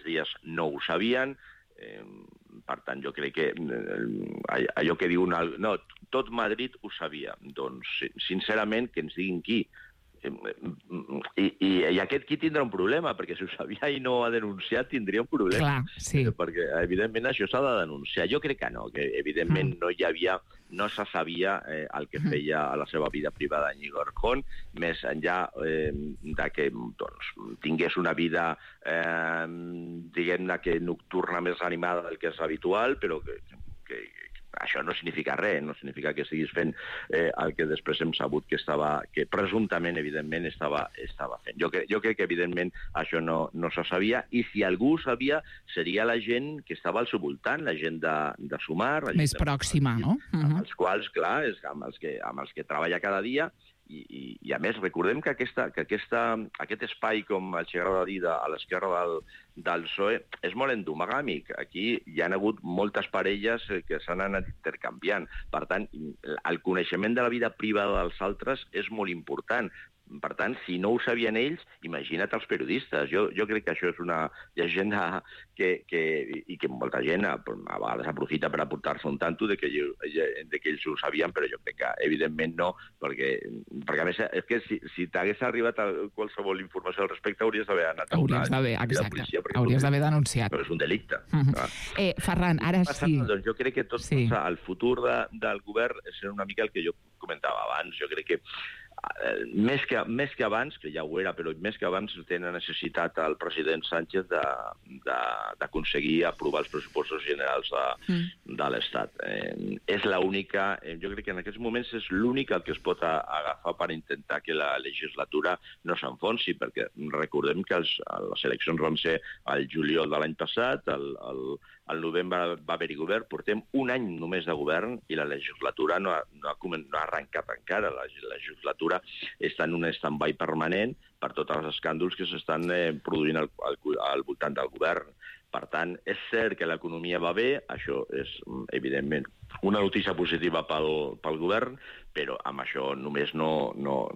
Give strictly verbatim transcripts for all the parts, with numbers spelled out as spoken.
dies no ho sabien. Eh, per tant, jo crec que eh, allò que diuen... No, tot Madrid ho sabia. Doncs, sincerament, que ens diguin qui. I, i, i aquest qui tindrà un problema, perquè si ho sabia i no ha denunciat tindria un problema. Clar, sí. Perquè evidentment això s'ha de denunciar. Jo crec que no, que evidentment mm. no hi havia, no se sabia eh, el que feia a la seva vida privada Íñigo Errejón, més enllà eh, de que doncs, tingués una vida eh, diguem-ne que nocturna més animada del que és habitual, però que, que això no significa res, no significa que estiguis fent eh, el que després hem sabut que estava, que presumptament, evidentment, estava, estava fent. Jo, cre jo crec que, evidentment, això no, no se sabia, i si algú ho sabia, seria la gent que estava al seu voltant, la gent de, de Sumar... La gent més pròxima, de, no? Amb uh -huh. els quals, clar, és amb els que, amb els que treballa cada dia. I, i, i a més, recordem que, aquesta, que aquesta, aquest espai, com els agrada dir, de, a l'esquerra del, del P S O E, és molt endomagàmic. Aquí hi ha hagut moltes parelles que s'han anat intercanviant. Per tant, el coneixement de la vida privada dels altres és molt important. Per tant, si no ho sabien ells, imagina't els periodistes. Jo, jo crec que això és una llegenda que, que, i que molta gent a, a vegades aprofita per aportar-se un tanto de que, de que ells ho sabien, però jo crec que evidentment no, perquè, perquè a més, és que si, si t'hagués arribat a qualsevol informació al respecte, hauries d'haver anat a una... Hauries d'haver, exacte, hauries d'haver denunciat. Però és un delicte. Uh -huh. eh, Ferran, ara sí... Doncs jo crec que tot sí. El futur de, del govern és una mica el que jo comentava abans. Jo crec que Més que, més que abans, que ja ho era, però més que abans tenen necessitat el president Sánchez d'aconseguir aprovar els pressupostos generals de, mm. de l'Estat. Eh, és l'única, eh, jo crec que en aquests moments és l'únic el que es pot a, agafar per intentar que la legislatura no s'enfonsi, perquè recordem que els, les eleccions van ser al juliol de l'any passat, el, el, el novembre va haver-hi govern, portem un any només de govern i la legislatura no ha, no ha, no ha arrencat encara. La legislatura està en un stand-by permanent per tots els escàndols que s'estan eh, produint al, al, al voltant del govern. Per tant, és cert que l'economia va bé, això és, evidentment, una notícia positiva pel, pel govern, però amb això només no... no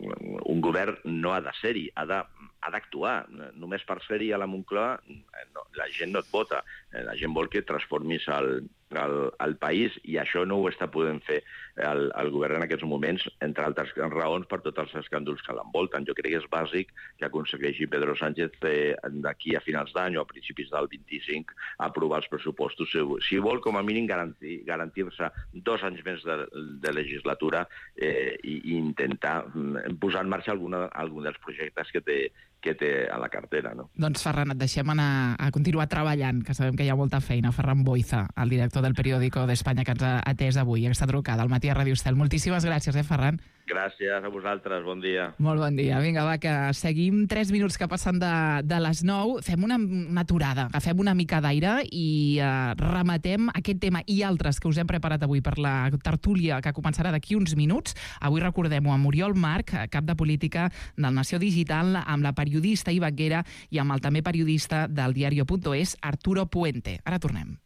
un govern no ha de ser-hi, ha de ha d'actuar. Només per ser-hi a la Moncloa no, la gent no et vota. La gent vol que transformis el, el, el país, i això no ho està podent fer el, el govern en aquests moments, entre altres raons per tots els escàndols que l'envolten. Jo crec que és bàsic que aconsegueixi Pedro Sánchez eh, d'aquí a finals d'any o a principis del vint-i-cinc aprovar els pressupostos. Si, si vol, com a mínim, garantir, garantir-se dos anys més de, de legislatura eh, i, i intentar posar en marxa alguna, algun dels projectes que té que té a la cartera, no? Doncs, Ferran, et deixem anar a continuar treballant, que sabem que hi ha molta feina. Ferran Boiza, el director del Periódico d'Espanya, que ens ha atès avui, aquesta trucada al matí a Ràdio Estel. Moltíssimes gràcies, eh, Ferran? Gràcies a vosaltres, bon dia. Molt bon dia. Vinga, va, que seguim tres minuts que passen de, de les nou. Fem una, una aturada, agafem una mica d'aire i eh, rematem aquest tema i altres que us hem preparat avui per la tertúlia que començarà d'aquí uns minuts. Avui recordem-ho amb Oriol March, cap de política del Nació Digital, amb la periodista i vaquera i amb el també periodista del diario punto es, Arturo Puente. Ara tornem.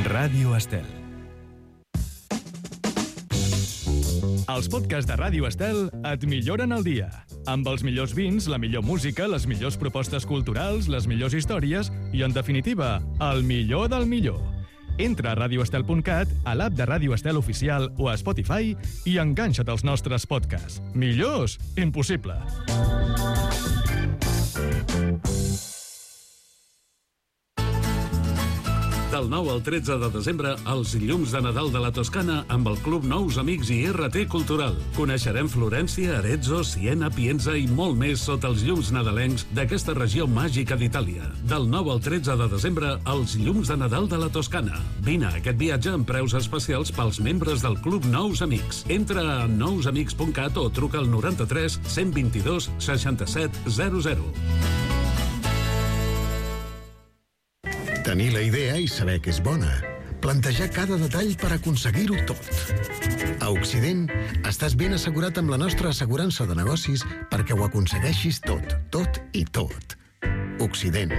Ràdio Estel. Els podcasts de Ràdio Estel et milloren el dia. Amb els millors vins, la millor música, les millors propostes culturals, les millors històries i, en definitiva, el millor del millor. Entra a radio estel punt cat, a l'app de Ràdio Estel Oficial o a Spotify i enganxa't als nostres podcasts. Millors? Impossible. Del nou al tretze de desembre, els llums de Nadal de la Toscana amb el Club Nous Amics i R T Cultural. Coneixerem Florència, Arezzo, Siena, Pienza i molt més sota els llums nadalencs d'aquesta regió màgica d'Itàlia. Del nou al tretze de desembre, els llums de Nadal de la Toscana. Vine a aquest viatge amb preus especials pels membres del Club Nous Amics. Entra a nous amics punt cat o truca al noranta-tres cent vint-i-dos seixanta-set zero zero. Tenir la idea i saber que és bona. Plantejar cada detall per aconseguir-ho tot. A Occident, estàs ben assegurat amb la nostra assegurança de negocis perquè ho aconsegueixis tot, tot i tot. Occident.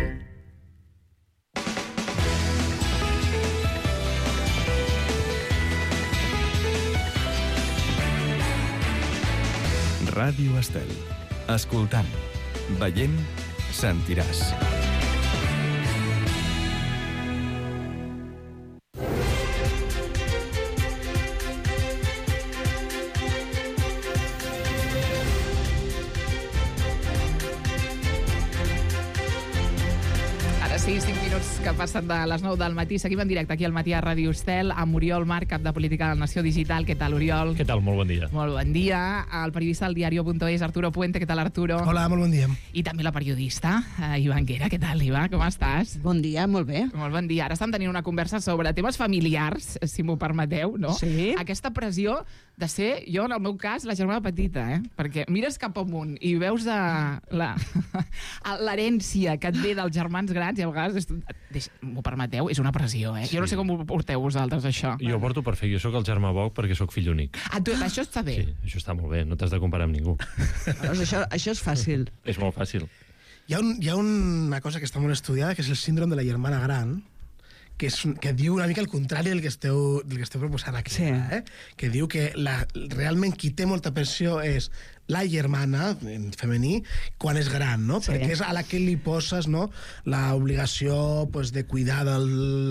Ràdio Estel. Escoltant, veient, sentiràs. Sí, cinc minuts que passen de les nou del matí. Seguim en directe aquí al matí a Ràdio Estel amb Oriol Marc, cap de Política de la Nació Digital. Què tal, Oriol? Què tal? Molt bon dia. Molt bon dia. El periodista del diario punto es, Arturo Puente. Què tal, Arturo? Hola, molt bon dia. I també la periodista, uh, Ivan Guera. Què tal, Ivan? Com estàs? Bon dia, molt bé. Molt bon dia. Ara estem tenint una conversa sobre temes familiars, si m'ho permeteu, no? Sí. Aquesta pressió de ser, jo, en el meu cas, la germana petita, eh? Perquè mires cap amunt i veus l'herència que et ve dels germans grans i a vegades... M'ho permeteu? És una pressió, eh? Sí. Jo no sé com ho porteu vosaltres, això. Jo ho porto perfecte. Jo sóc el germà Boc perquè sóc fill únic. Ah, tu, això està bé. Sí, això està molt bé. No t'has de comparar amb ningú. Doncs això, això és fàcil. És molt fàcil. Hi ha, un, hi ha una cosa que està molt estudiada, que és el síndrome de la germana gran, que, és, que diu una mica el contrari del que esteu, del que esteu proposant aquí. Sí. Eh? Que diu que la, realment qui té molta pressió és la germana, en femení, quan és gran, no? Sí. Perquè és a la que li poses, no?, l'obligació, pues, de cuidar de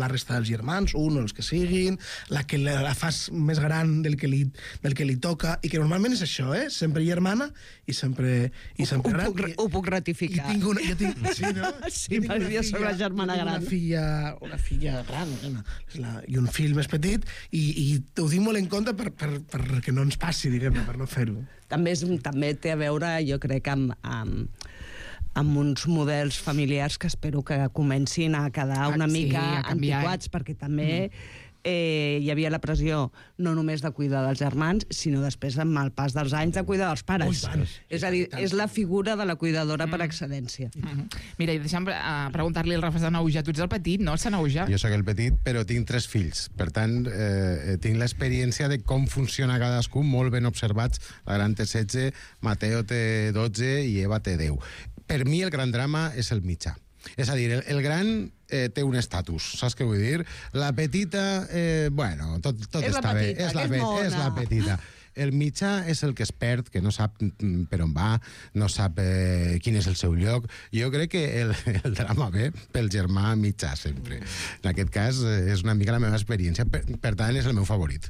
la resta dels germans, un o els que siguin, la que la fas més gran del que li, del que li toca, i que normalment és això, eh? Sempre germana i sempre, i sempre ho, gran. ho, puc, ho puc ratificar. I tinc una, jo tinc, sí, no? Sí, perquè jo soc la germana gran. Una filla, una filla gran, una, la, i un fill més petit, i, i ho tinc molt en compte per, per, per que no ens passi, diguem-ne, per no fer-ho. També, és, també té a veure, jo crec, amb, amb, amb uns models familiars que espero que comencin a quedar una ah, sí, mica canviar, antiquats, eh? perquè també mm. eh, hi havia la pressió no només de cuidar dels germans, sinó després, amb el pas dels anys, de cuidar dels pares. Ui, és a dir, és la figura de la cuidadora mm. per excedència. Mm -hmm. Mira, i deixa'm uh, preguntar-li al Rafa Sanahuja. Tu ets el petit, no, Sanahuja? Jo sóc el petit, però tinc tres fills. Per tant, eh, tinc l'experiència de com funciona cadascun, molt ben observats. La gran té setze, Mateo té dotze i Eva té deu. Per mi el gran drama és el mitjà. És a dir, el, el gran eh, té un estatus, saps què vull dir? La petita, eh, bueno, tot, tot és està petita, bé. És la, és, és la petita. El mitjà és el que es perd, que no sap per on va, no sap eh, quin és el seu lloc. Jo crec que el, el drama ve pel germà mitjà, sempre. En aquest cas, eh, és una mica la meva experiència. Per, per tant, és el meu favorit.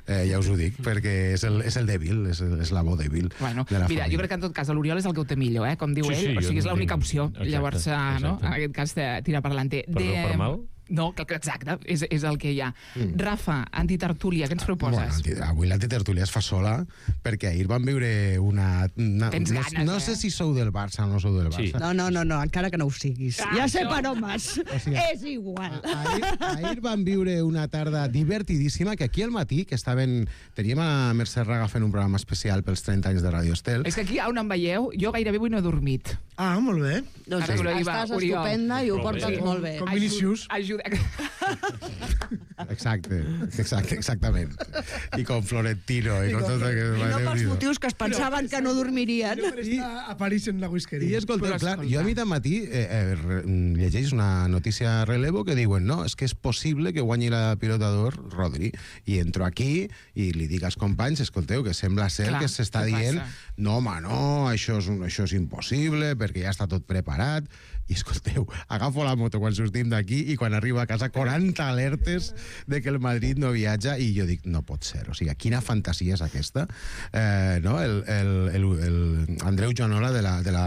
Eh, ja us ho dic, perquè és el, és el dèbil, és, el, és la bo dèbil bueno, de la mira, família. Jo crec que en tot cas l'Oriol és el que ho té millor, eh? Com diu sí, ell. Sí, o sigui, és l'única opció. Exacte, Llavors, exacte. no? En aquest cas, tirar per l'ante. Per bé o per mal? No, exacte, és, és el que hi ha. Mm. Rafa, antitertúlia, què ens proposes? Bueno, avui l'antitertúlia es fa sola, perquè ahir vam viure una... una Tens no, ganes, no eh? sé si sou del Barça o no sou del Barça. Sí. No, no, no, no, encara que no ho siguis. Ah, ja sé no. per on vas. O sigui, és igual. Ahir, ahir vam viure una tarda divertidíssima, que aquí al matí, que estaven... Teníem a Mercè Raga fent un programa especial pels trenta anys de Ràdio Estel. És que aquí, on em veieu, jo gairebé avui no he dormit. Ah, molt bé. Doncs Ara, Oriol, estàs Oriol. estupenda i ho Prou portes bé. molt bé. Com Vinicius. Ajuda... Exacte, exacte, exactament. I com Florentino, i, I com com- tot aquest... I no pels motius que es pensaven que no dormirien. Per estar a París en la whiskeria. I escolteu, Però clar, escolta. jo a mi de matí eh, eh, re- llegeix una notícia a relevo que diuen no, és que és possible que guanyi la pilota d'or Rodri. I entro aquí i li dic als companys, escolteu, que sembla ser Clar, que s'està què dient passa? no, home, no, això és, un- això és impossible perquè ja està tot preparat. I escolteu, agafo la moto quan sortim d'aquí i quan arribo a casa quaranta alertes de que el Madrid no viatja i jo dic, no pot ser. O sigui, quina fantasia és aquesta? Eh, no? el, el, el, el Andreu Joanola de la, de la,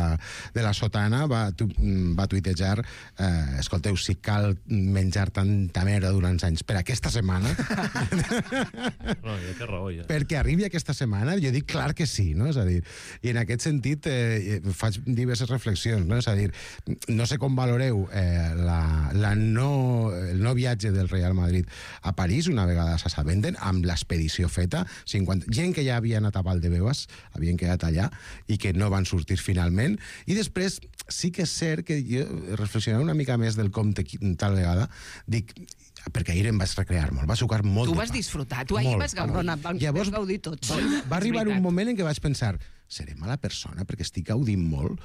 de la Sotana va, tu, va tuitejar eh, escolteu, si cal menjar tanta merda durant anys per aquesta setmana No, ja té raó, ja. perquè arribi aquesta setmana, jo dic clar que sí, no? És a dir, i en aquest sentit eh, faig diverses reflexions, no? És a dir, no sé com valoreu eh, la, la no, el no viatge del Real Madrid a París, una vegada s'assabenten, amb l'expedició feta, cinquanta gent que ja havia anat a Valdebebas, havien quedat allà, i que no van sortir finalment, i després sí que és cert que jo reflexionava una mica més del compte tal vegada, dic, perquè ahir em vaig recrear molt, va sucar molt Tu de vas pa. disfrutar, tu ahir Molt. vas gaudir. Perdona, vam Llavors, gaudir tots. va arribar un moment en què vaig pensar seré mala persona perquè estic gaudint molt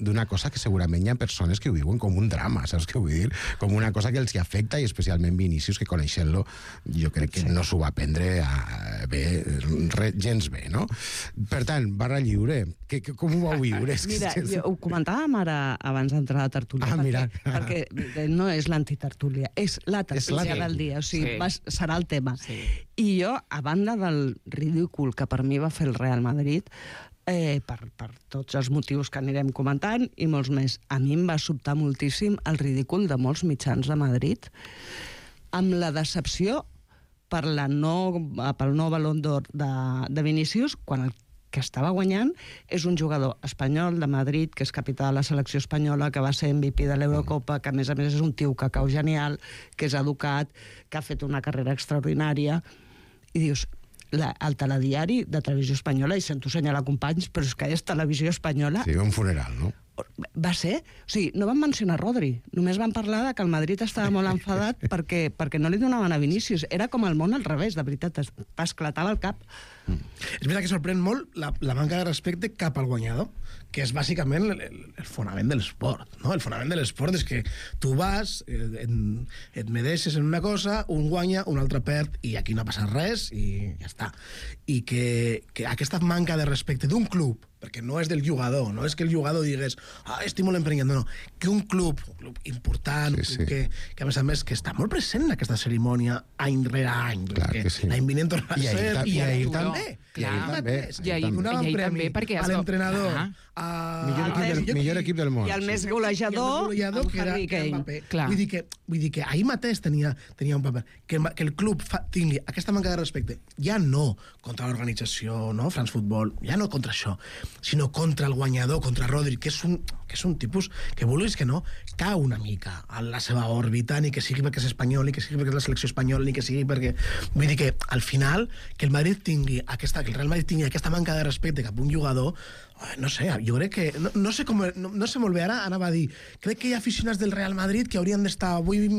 d'una cosa que segurament hi ha persones que ho viuen com un drama, saps què vull dir? Com una cosa que els hi afecta, i especialment Vinícius, que coneixent-lo jo crec que no s'ho va prendre a, bé, re, gens bé, no? Per tant, barra lliure, que, que, com ho vau viure? Mira, jo ho comentàvem ara abans d'entrar a la tertúlia, ah, mira. perquè, perquè no és l'antitertúlia, és la tertúlia del dia, o sigui, sí. va, serà el tema. Sí. I jo, a banda del ridícul que per mi va fer el Real Madrid, eh, per, per tots els motius que anirem comentant i molts més, a mi em va sobtar moltíssim el ridícul de molts mitjans de Madrid, amb la decepció per la no, pel nou Balón d'Or de, de Vinícius, quan el que estava guanyant és un jugador espanyol de Madrid, que és capità de la selecció espanyola, que va ser M V P de l'Eurocopa, que a més a més és un tio que cau genial, que és educat, que ha fet una carrera extraordinària, i dius, la, el telediari de Televisió Espanyola, i sento senyalar companys, però és que és Televisió Espanyola... Sí, un funeral, no? Va ser... O sigui, no van mencionar Rodri, només van parlar de que el Madrid estava molt enfadat perquè, perquè no li donaven a Vinícius. Era com el món al revés, de veritat, esclatava el cap. Mm. És veritat que sorprèn molt la, la manca de respecte cap al guanyador, que és bàsicament el, el, el fonament de l'esport, no? El fonament de l'esport és que tu vas, et, et medeixes en una cosa, un guanya, un altre perd, i aquí no ha passat res, i ja està. I que, que aquesta manca de respecte d'un club, perquè no és del jugador, no és que el jugador digués ah, estic molt emprenyat, no, no, que un club, un club important, sí, sí. Que, que a més a més que està molt present en aquesta cerimònia any rere any, clar que sí. L'any vinent tornarà a ser, i ahir també, i ahir també, i ahir també, perquè a l'entrenador, a... millor, equip del, millor equip del món, i el més golejador, i el més golejador que era, que era Mbappé. Vull dir que, vull dir que ahir mateix tenia, tenia un paper, que, que el club fa, tingui aquesta manca de respecte, ja no contra l'organització, no, France Football, ja no contra això, sinó contra el guanyador, contra Rodri, que és un, que és un tipus que, vulguis que no, cau una mica a la seva òrbita, ni que sigui perquè és espanyol, ni que sigui perquè és la selecció espanyola, ni que sigui perquè... Vull dir que, al final, que el Madrid tingui aquesta, que el Real Madrid tingui aquesta manca de respecte cap a un jugador, no sé, jo crec que... No, no, sé com, no, no sé molt bé, ara anava a dir, crec que hi ha aficionats del Real Madrid que haurien d'estar avui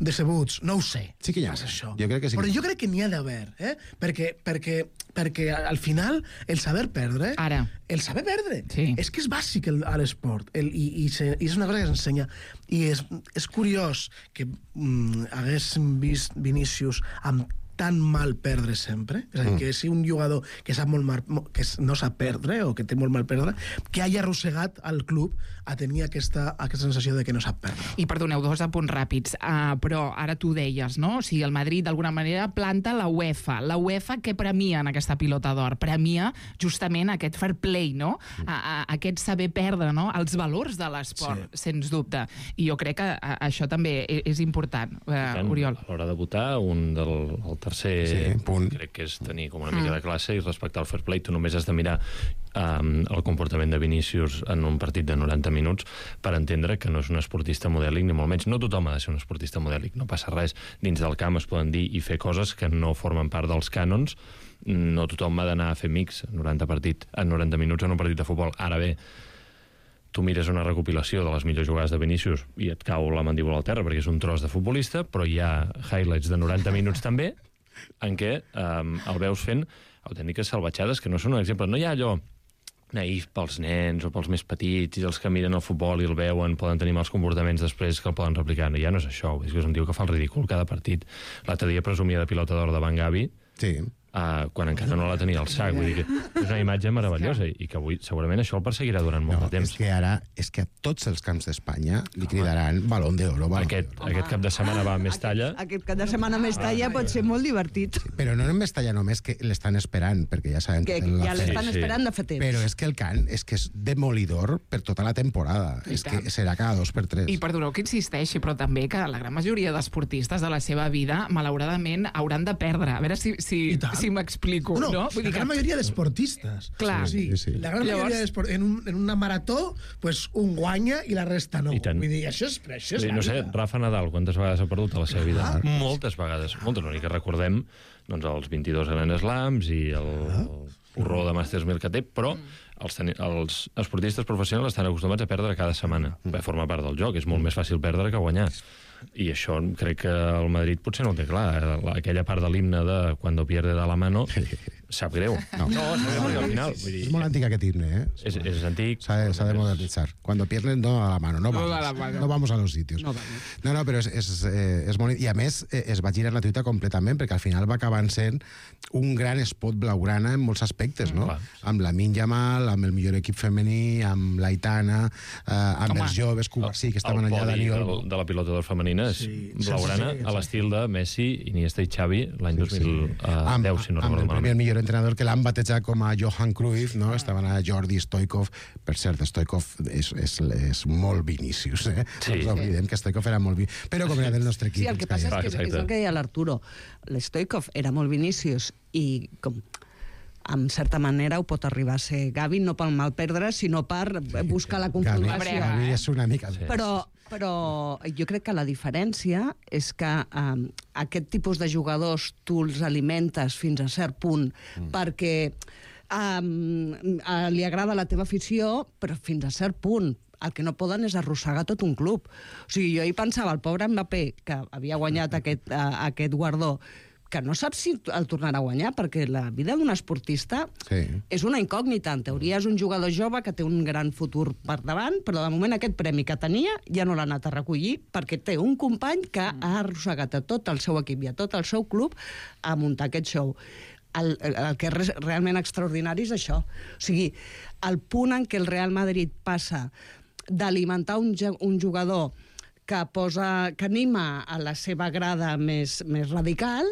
decebuts, no ho sé. Sí que hi ha, això. Jo crec que sí. Però jo crec que n'hi ha d'haver, eh? Perquè, perquè, perquè al final el saber perdre... Ara. El saber perdre. Sí. És que és bàsic el, a l'esport. El, i, i, se, I és una cosa que s'ensenya. I és, és curiós que mm, haguéssim vist Vinícius amb tan mal perdre sempre, és a dir, que si un jugador que sap molt mal, que no sap perdre o que té molt mal perdre, que hagi arrossegat al club a tenir aquesta, aquesta sensació de que no sap perdre. I perdoneu, dos apunts ràpids, uh, però ara tu deies, no? O sigui, el Madrid d'alguna manera planta la UEFA. La UEFA què premia en aquesta pilota d'or? Premia justament aquest fair play, no? A, a, aquest saber perdre, no? Els valors de l'esport, sí. Sens dubte. I jo crec que a, això també és important, uh, tant, Oriol. A l'hora de votar, un del el tercer sí, punt. Crec que és tenir com una mica mm. de classe i respectar el fair play. Tu només has de mirar um, el comportament de Vinícius en un partit de noranta minuts per entendre que no és un esportista modèlic, ni molt menys. No tothom ha de ser un esportista modèlic, no passa res. Dins del camp es poden dir i fer coses que no formen part dels cànons. No tothom ha d'anar a fer mix en noranta, partit, en noranta minuts en un partit de futbol. Ara bé, tu mires una recopilació de les millors jugades de Vinícius i et cau la mandíbula al terra perquè és un tros de futbolista, però hi ha highlights de noranta minuts també en què um, el veus fent autèntiques salvatjades que no són un exemple. No hi ha allò naïf pels nens o pels més petits i els que miren el futbol i el veuen poden tenir mals comportaments després que el poden replicar. No, ja no és això, és que és un tio que fa el ridícul cada partit. L'altre dia presumia de pilota d'or de Van Gavi, sí. Uh, quan encara no la tenia al sac. Vull dir que és una imatge meravellosa i que avui segurament això el perseguirà durant molt no, de temps. És que ara, és que a tots els camps d'Espanya li cridaran Balón d'Oro. Aquest, aquest cap de setmana va a Mestalla. Aquest, aquest cap de setmana a Mestalla ah, pot ser molt divertit. Sí, però no en Mestalla només, que l'estan esperant, perquè ja sabem que, que ja l'estan sí, esperant de fa temps. Però és que el cant és que és demolidor per tota la temporada. I és tant. Que serà cada dos per tres. I perdoneu que insisteixi, però també que la gran majoria d'esportistes de la seva vida, malauradament, hauran de perdre. A veure si, si, si m'explico. No, no? Vull la gran que... majoria d'esportistes. Clar. Sí, sí, sí. La gran Llavors... majoria d'esportistes. En, un, en una marató, pues, un guanya i la resta no. Vull dir, això és, això és sí, no sé, Rafa Nadal, quantes vegades ha perdut a la seva vida? Ah. Moltes vegades. Moltes, l'únic que recordem doncs, els vint-i-dos Grand Slams i el, ah. el porró de Masters mil que té, però els, ten... els esportistes professionals estan acostumats a perdre cada setmana. Mm. Per formar part del joc. És molt més fàcil perdre que guanyar. I això crec que el Madrid potser no ho té clar. Aquella part de l'himne de Cuando pierde de la mano sap greu. No, no sap greu perquè al final... Vull dir, és molt antic aquest himne, eh? És, és antic. S'ha de, s'ha de modernitzar. Cuando pierden, no a la mano. No vamos, no, la mano. No vamos a los sitios. No, no, no però és, és, és molt... I a més, es va girar la tuita completament, perquè al final va acabar sent un gran spot blaugrana en molts aspectes, no? Mm, amb la Lamine Yamal, amb el millor equip femení, amb l'Aitana, eh, amb Home, els joves Covaxi, que estaven allà a Daniel. El de la pilota del femenina és sí, blaugrana, sí, sí, a l'estil de Messi, Iniesta i Xavi, l'any sí, dos mil deu, sí. si no recordo malament. El millor entrenador que l'han batejat com a Johan Cruyff, no? Estaven a Jordi Stoikov. Per cert, Stoikov és, és, és molt Vinícius, eh? Sí. No ens oblidem que Stoikov era molt Vinícius. Però com era del nostre equip. Sí, el que passa és, que, és el que deia l'Arturo. L'Stoikov era molt Vinícius i com en certa manera ho pot arribar a ser Gavi, no pel mal perdre, sinó per buscar la confrontació. Gavi és una mica... Sí. Però, però jo crec que la diferència és que um, aquest tipus de jugadors tu els alimentes fins a cert punt mm. perquè um, uh, li agrada la teva afició, però fins a cert punt. El que no poden és arrossegar tot un club. O sigui, jo hi pensava, el pobre Mbappé, que havia guanyat aquest, uh, aquest guardó, que no sap si el tornarà a guanyar, perquè la vida d'un esportista sí. és una incògnita. En teoria és un jugador jove que té un gran futur per davant, però de moment aquest premi que tenia ja no l'ha anat a recollir, perquè té un company que ha arrossegat a tot el seu equip i a tot el seu club a muntar aquest show. El, el que és realment extraordinari és això. O sigui, el punt en què el Real Madrid passa d'alimentar un, un jugador que posa, que anima a la seva grada més, més radical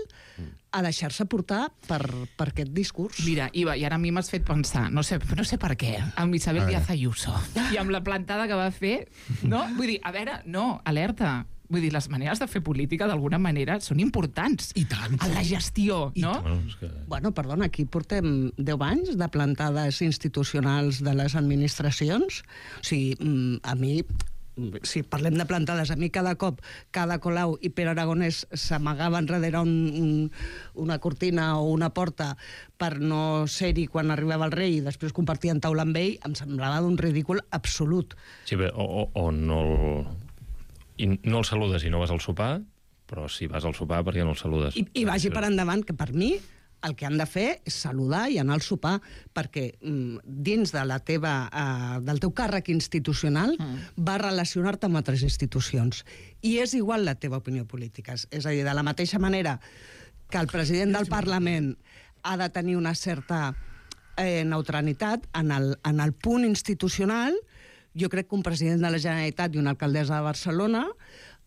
a deixar-se portar per, per aquest discurs. Mira, Iva, i ara a mi m'has fet pensar, no sé, no sé per què, amb Isabel Díaz Ayuso i amb la plantada que va fer, no? Vull dir, a veure, no, alerta. Vull dir, les maneres de fer política, d'alguna manera, són importants. I tant. En la gestió, I no? Bueno, que... bueno, perdona, aquí portem deu anys de plantades institucionals de les administracions. O sigui, a mi... si parlem de plantades, a mi cada cop cada Colau i Pere Aragonès s'amagaven darrere un, un, una cortina o una porta per no ser-hi quan arribava el rei i després compartien taula amb ell, em semblava d'un ridícul absolut. Sí, bé, o, o, o no el, i no el saludes i no vas al sopar, però si vas al sopar, per què no el saludes? I, i vagi per endavant, que per mi el que han de fer és saludar i anar al sopar, perquè mm, dins de la teva, uh, del teu càrrec institucional mm. va relacionar-te amb altres institucions. I és igual la teva opinió política. És a dir, de la mateixa manera que el president del Parlament ha de tenir una certa eh, neutralitat en el, en el punt institucional, jo crec que un president de la Generalitat i una alcaldessa de Barcelona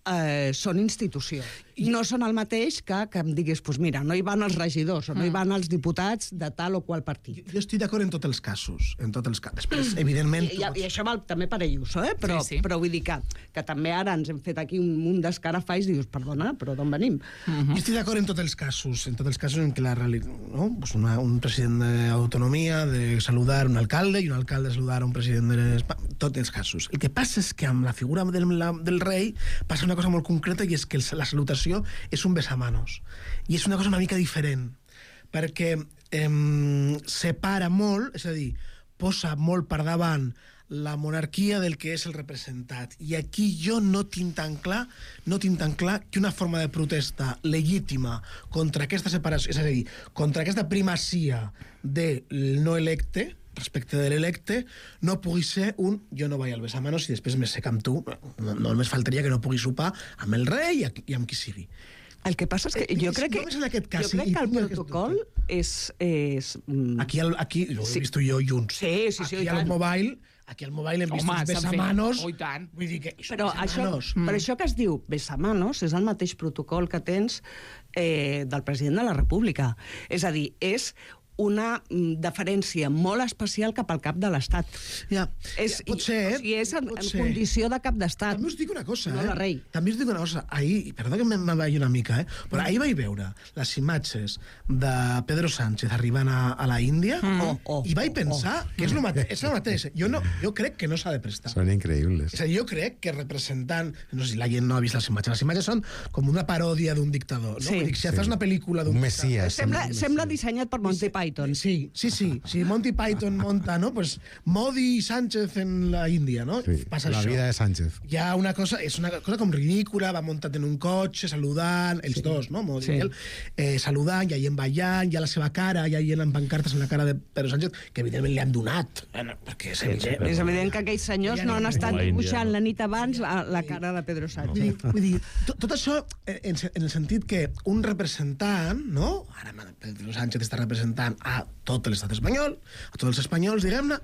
eh, són institució. I no són el mateix que, que em diguis, pues mira, no hi van els regidors o no hi van els diputats de tal o qual partit. Jo, jo estic d'acord en tots els casos. En tots els casos. Després, evidentment... I, i, i això val també per Ayuso, eh? Però, sí, sí. però vull dir que, que també ara ens hem fet aquí un munt d'escarafalls i dius, perdona, però d'on venim? Uh-huh. Jo estic d'acord en tots els casos, en tots els casos en què la realitat, no? Pues una, un president d'autonomia de saludar un alcalde i un alcalde saludar un president de... Tots els casos. El que passa és que amb la figura del, la, del rei passa una cosa molt concreta i és que el, la salutació és un besamanos. I és una cosa una mica diferent, perquè eh, separa molt, és a dir, posa molt per davant la monarquia del que és el representat. I aquí jo no tinc tan clar, no tinc tan clar que una forma de protesta legítima contra aquesta separació, és a dir, contra aquesta primacia del no electe, respecte de l'electe, no pugui ser un jo no vaig al besamanos i després me sec amb tu. No, no només faltaria que no pugui sopar amb el rei i, i amb qui sigui. El que passa és que jo crec que, jo crec que el protocol és... és aquí, el, aquí ho he vist jo junts. Sí, sí, sí. Aquí al mobile... Aquí al mobile hem vist Home, els besamanos. Oh, tant. Vull dir que però això, mm. però això que es diu besamanos és el mateix protocol que tens eh, del president de la República. És a dir, és una mm, deferència molt especial cap al cap de l'Estat. Ja, és, ja, pot ser, eh? O sigui, és en, en condició de cap d'Estat. També us dic una cosa, no eh? la rei. També us dic una cosa. Ahir, perdó que me'n vaig una mica, eh? Però ahir vaig veure les imatges de Pedro Sánchez arribant a, a la Índia mm. oh, oh, i vaig pensar oh, oh. que és el mateix. És el mateix. Jo, no, jo crec que no s'ha de prestar. Són increïbles. És a dir, jo crec que representant... No sé si la gent no ha vist les imatges. Les imatges són com una paròdia d'un dictador. No? Sí. Vull dir, si sí. fas una pel·lícula d'un... Un messies. Sembla, sembla dissenyat per Monty Python. Python. Sí, sí, sí. Si Monty Python monta, no? Pues Modi i Sánchez en la Índia, no? Sí, Passa la això. vida de Sánchez. Hi ha una cosa, és una cosa com ridícula, va muntat en un cotxe, saludant, els sí. dos, no? Modi sí. i ell, eh, saludant, i ahí ballant, hi ha la seva cara, hi ha en pancartes en la cara de Pedro Sánchez, que evidentment li han donat, perquè és evident. És evident que aquells senyors no han estat dibuixant la nit abans la, la cara de Pedro Sánchez. Vull dir, vull dir tot, tot això en, en el sentit que un representant, no? Ara Pedro Sánchez està representant a tot l'estat espanyol, a tots els espanyols, diguem-ne,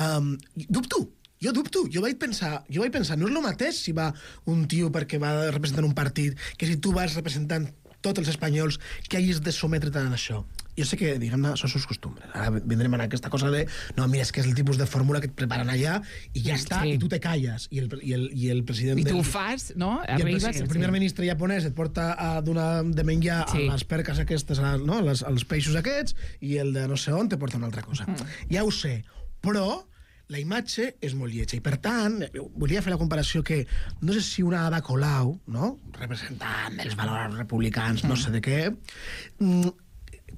um, dubto, jo dubto, jo vaig pensar, jo vaig pensar, no és el mateix si va un tio perquè va representant un partit que si tu vas representant tots els espanyols que hagis de sometre tant a això. Jo sé que, diguem-ne, això sus costumbres. Ara vindrem a aquesta cosa de, no, mira, és que és el tipus de fórmula que et preparen allà i ja està, sí. i tu te calles. I el, i el, i el president... I tu del, ho fas, no? I el, Arribes, el, el primer sí. ministre japonès et porta a donar de menjar sí. a les perques aquestes, a, no? les, als peixos aquests, i el de no sé on te porta una altra cosa. Mm. Ja ho sé, però la imatge és molt lletja. I, per tant, volia fer la comparació que no sé si una Ada Colau, no? representant dels valors republicans, mm. no sé de què, mm,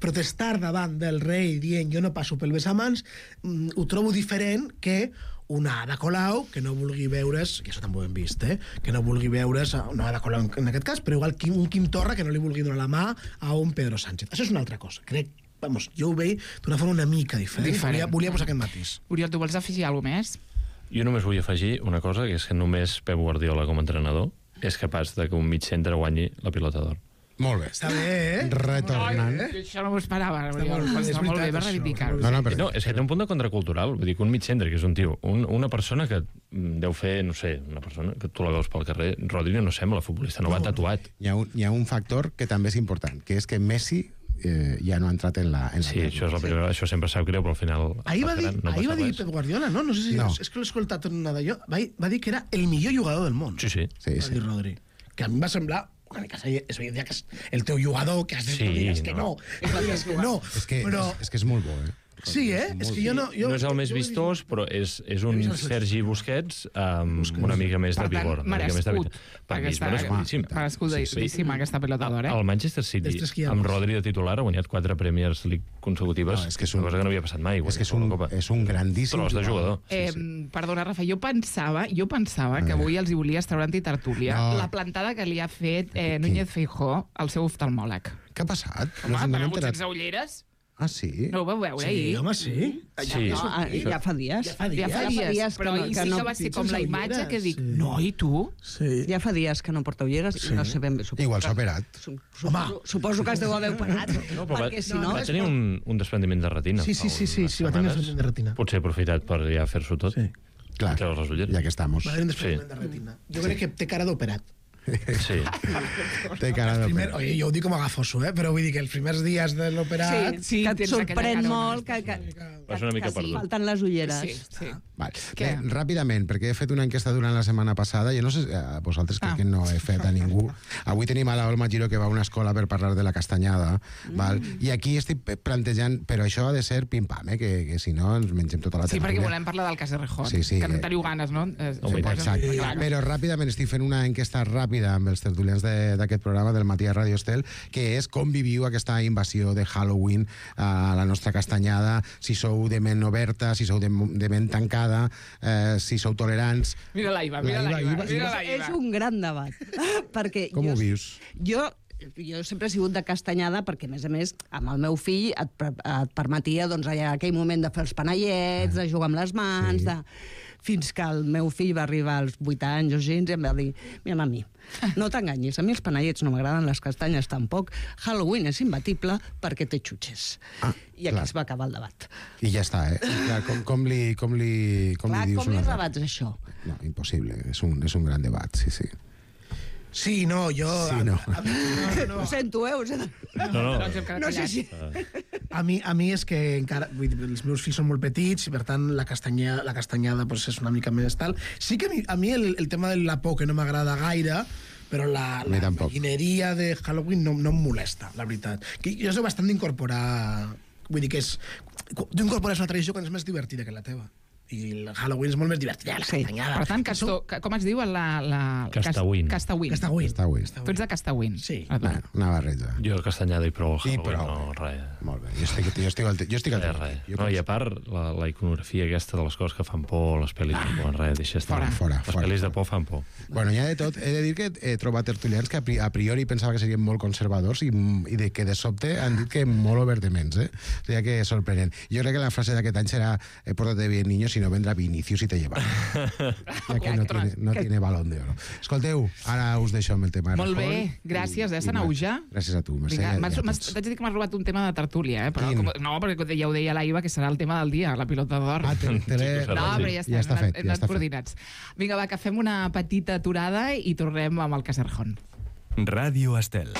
protestar davant del rei dient jo no passo pel besamans, mm, ho trobo diferent que una Ada Colau que no vulgui veure's, que això també ho hem vist, eh? que no vulgui veure's, una Ada Colau en aquest cas, però igual un Quim Torra que no li vulgui donar la mà a un Pedro Sánchez. Això és una altra cosa. Crec, vamos, jo ho veig d'una forma una mica diferent. diferent. Volia, volia posar aquest matís. Oriol, tu vols afegir alguna cosa més? Jo només vull afegir una cosa, que és que només Pep Guardiola com a entrenador és capaç de que un mig centre guanyi la pilota d'or. Molt bé. Està bé, eh? Retornant. No, això no m'ho esperava. Està molt, molt, està molt bé per reivindicar-ho. No, no, però... no, és que té un punt de contracultural. Vull dir que un mig centre, que és un tio, un, una persona que deu fer, no sé, una persona que tu la veus pel carrer, Rodri no sembla futbolista, no, no va tatuat. Hi ha, un, hi ha un factor que també és important, que és que Messi eh, ja no ha entrat en la... En la sí, la això és la primera, això sempre sap greu, però al final... Ahir va dir, no ahir va dir Pep Guardiola, no? No sé si... No. És que l'he escoltat una d'allò. Va, va dir que era el millor jugador del món. Sí, sí. sí, sí. Va dir Rodri. Que a mi va semblar... una mica és evident que és el teu jugador, que has de sí, dir, és que no, no. és que no. És que, però... és, és que és molt bo, eh? Sí, eh? És que jo no... Jo, no és el més vistós, però és, és un Sergi Busquets amb Busquets. una mica més de vigor. Per tant, merescut. Per mi és merescudíssim. Merescudíssima aquesta pelota d'or, eh? El Manchester City, amb Rodri de titular, ha guanyat quatre Premiers League consecutives, no, és que és un, una cosa que no havia passat mai. És que és un, és un grandíssim però de jugador. Eh, sí, sí. Perdona, Rafa, jo pensava, jo pensava que avui els hi volies treure antitertúlia no. la plantada que li ha fet eh, Núñez Feijóo al seu oftalmòleg. Què ha passat? Home, no, no paregut sense ulleres? Ah, sí? No ho vau veure ahir? Sí, home, sí. sí. No, ja fa dies. Ja fa dies, ja fa dies, ja fa dies però ahir sí que va ser com la imatge que dic, sí. no, i tu? Sí. Ja fa dies que no porta ulleres sí. i no sé ben bé. Igual s'ha operat. Suposo, suposo que es deu haver operat. No, perquè si no... Va tenir un, un desprendiment de retina. Sí, sí, sí, sí, sí va tenir un desprendiment de retina. Potser ha aprofitat per ja fer-s'ho tot. Sí. Clar, ja que estamos. Va tenir un desprendiment de retina. Jo crec que té cara d'operat. Sí. Té cara de primer, oye, jo ho dic com a gafoso, eh? Però vull dir que els primers dies de l'operat... Sí, sí, que et sorprèn molt que, que, que, Vas una mica que perdut. falten les ulleres. Sí, sí. Val. Bé, ràpidament, perquè he fet una enquesta durant la setmana passada, jo no sé, a vosaltres crec ah. que no he fet a ningú. Avui tenim a la Olma Giro que va a una escola per parlar de la castanyada, mm. val? I aquí estic plantejant, però això ha de ser pim-pam, eh? que, que si no ens mengem tota la tertúlia. Sí, tertúlia. perquè volem parlar del cas de Rejón, sí, sí, que no eh... teniu ganes, no? Sí, exacte. Sí, però ràpidament estic fent una enquesta ràpida amb els tertulians d'aquest programa del matí a Radio Estel, que és com viviu aquesta invasió de Halloween a la nostra castanyada, si sou de ment oberta, si sou de, de ment tancada, eh, si sou tolerants... Mira la Iva, mira la Iva. Mira la Iva. És un gran debat. Perquè com jo, ho vius? Jo... Jo sempre he sigut de castanyada perquè, a més a més, amb el meu fill et, et permetia, doncs, allà, aquell moment de fer els panellets, de jugar amb les mans, sí. de... fins que el meu fill va arribar als vuit anys o així, i em va dir, mira, mami, no t'enganyis, a mi els panellets no m'agraden, les castanyes tampoc, Halloween és imbatible perquè té xutxes. Ah, I aquí clar. Es va acabar el debat. I ja està, eh? Clar, com, com li, com li, com clar, li dius com li una... rebats això? No, impossible, és un, és un gran debat, sí, sí. Sí, no, jo... Sí, no. A, a mi, no, no. Ho sento, eh? Ho sento. No, no, no, no sé si... A mi, a mi és que encara... Vull dir, els meus fills són molt petits i, per tant, la castanyada, la castanyada pues, és una mica més tal. Sí que a mi, a mi el, el tema de la por que no m'agrada gaire, però la, la maquineria de Halloween no, no em molesta, la veritat. Que jo soc bastant d'incorporar... Vull dir que és... Tu incorpores una tradició quan és més divertida que la teva. I el Halloween és molt més divertit. La sí. castanyada. Per tant, Casto, com es diu? La, la... Castawin. Castawin. Castawin. Castawin. Tu ets de Castawin. Sí. Bueno, una barreja. Jo castanyada i prou el Halloween, prou. no, res. Molt bé, jo estic, jo estic al jo estic al Res, res. No, i a part, la, la iconografia aquesta de les coses que fan por, les pel·lis de por, res, deixa estar. Fora, fora, les fora, pel·lis fora. de por fan por. Bueno, ja de tot, he de dir que he trobat tertulians que a pri- a priori pensava que serien molt conservadors i, i de, que de sobte han dit que molt over de mens, eh? O sigui que sorprenent. Jo crec que la frase d'aquest any serà eh, pórtate bien, niño, si no vendrá Vinicius i te lleva. Ja que no tiene, no tiene balón de oro. Escolteu, ara us deixo amb el tema de Molt Rajoy. bé, gràcies, eh, Sanau, ja? Gràcies a tu, Mercè. Vinga, i a m'has, m'has, tots. t'haig de dir que m'has robat un tema de tertúlia, eh? Però, Quin? com, no, perquè ja ho deia l'Aiva, que serà el tema del dia, la pilota d'or. Ah, te, te l'he... No, però ja està, ja està hem fet, anat, hem ja anat està fet. coordinats. Vinga, va, que fem una petita aturada i tornem amb el Caserjón. Ràdio Estel.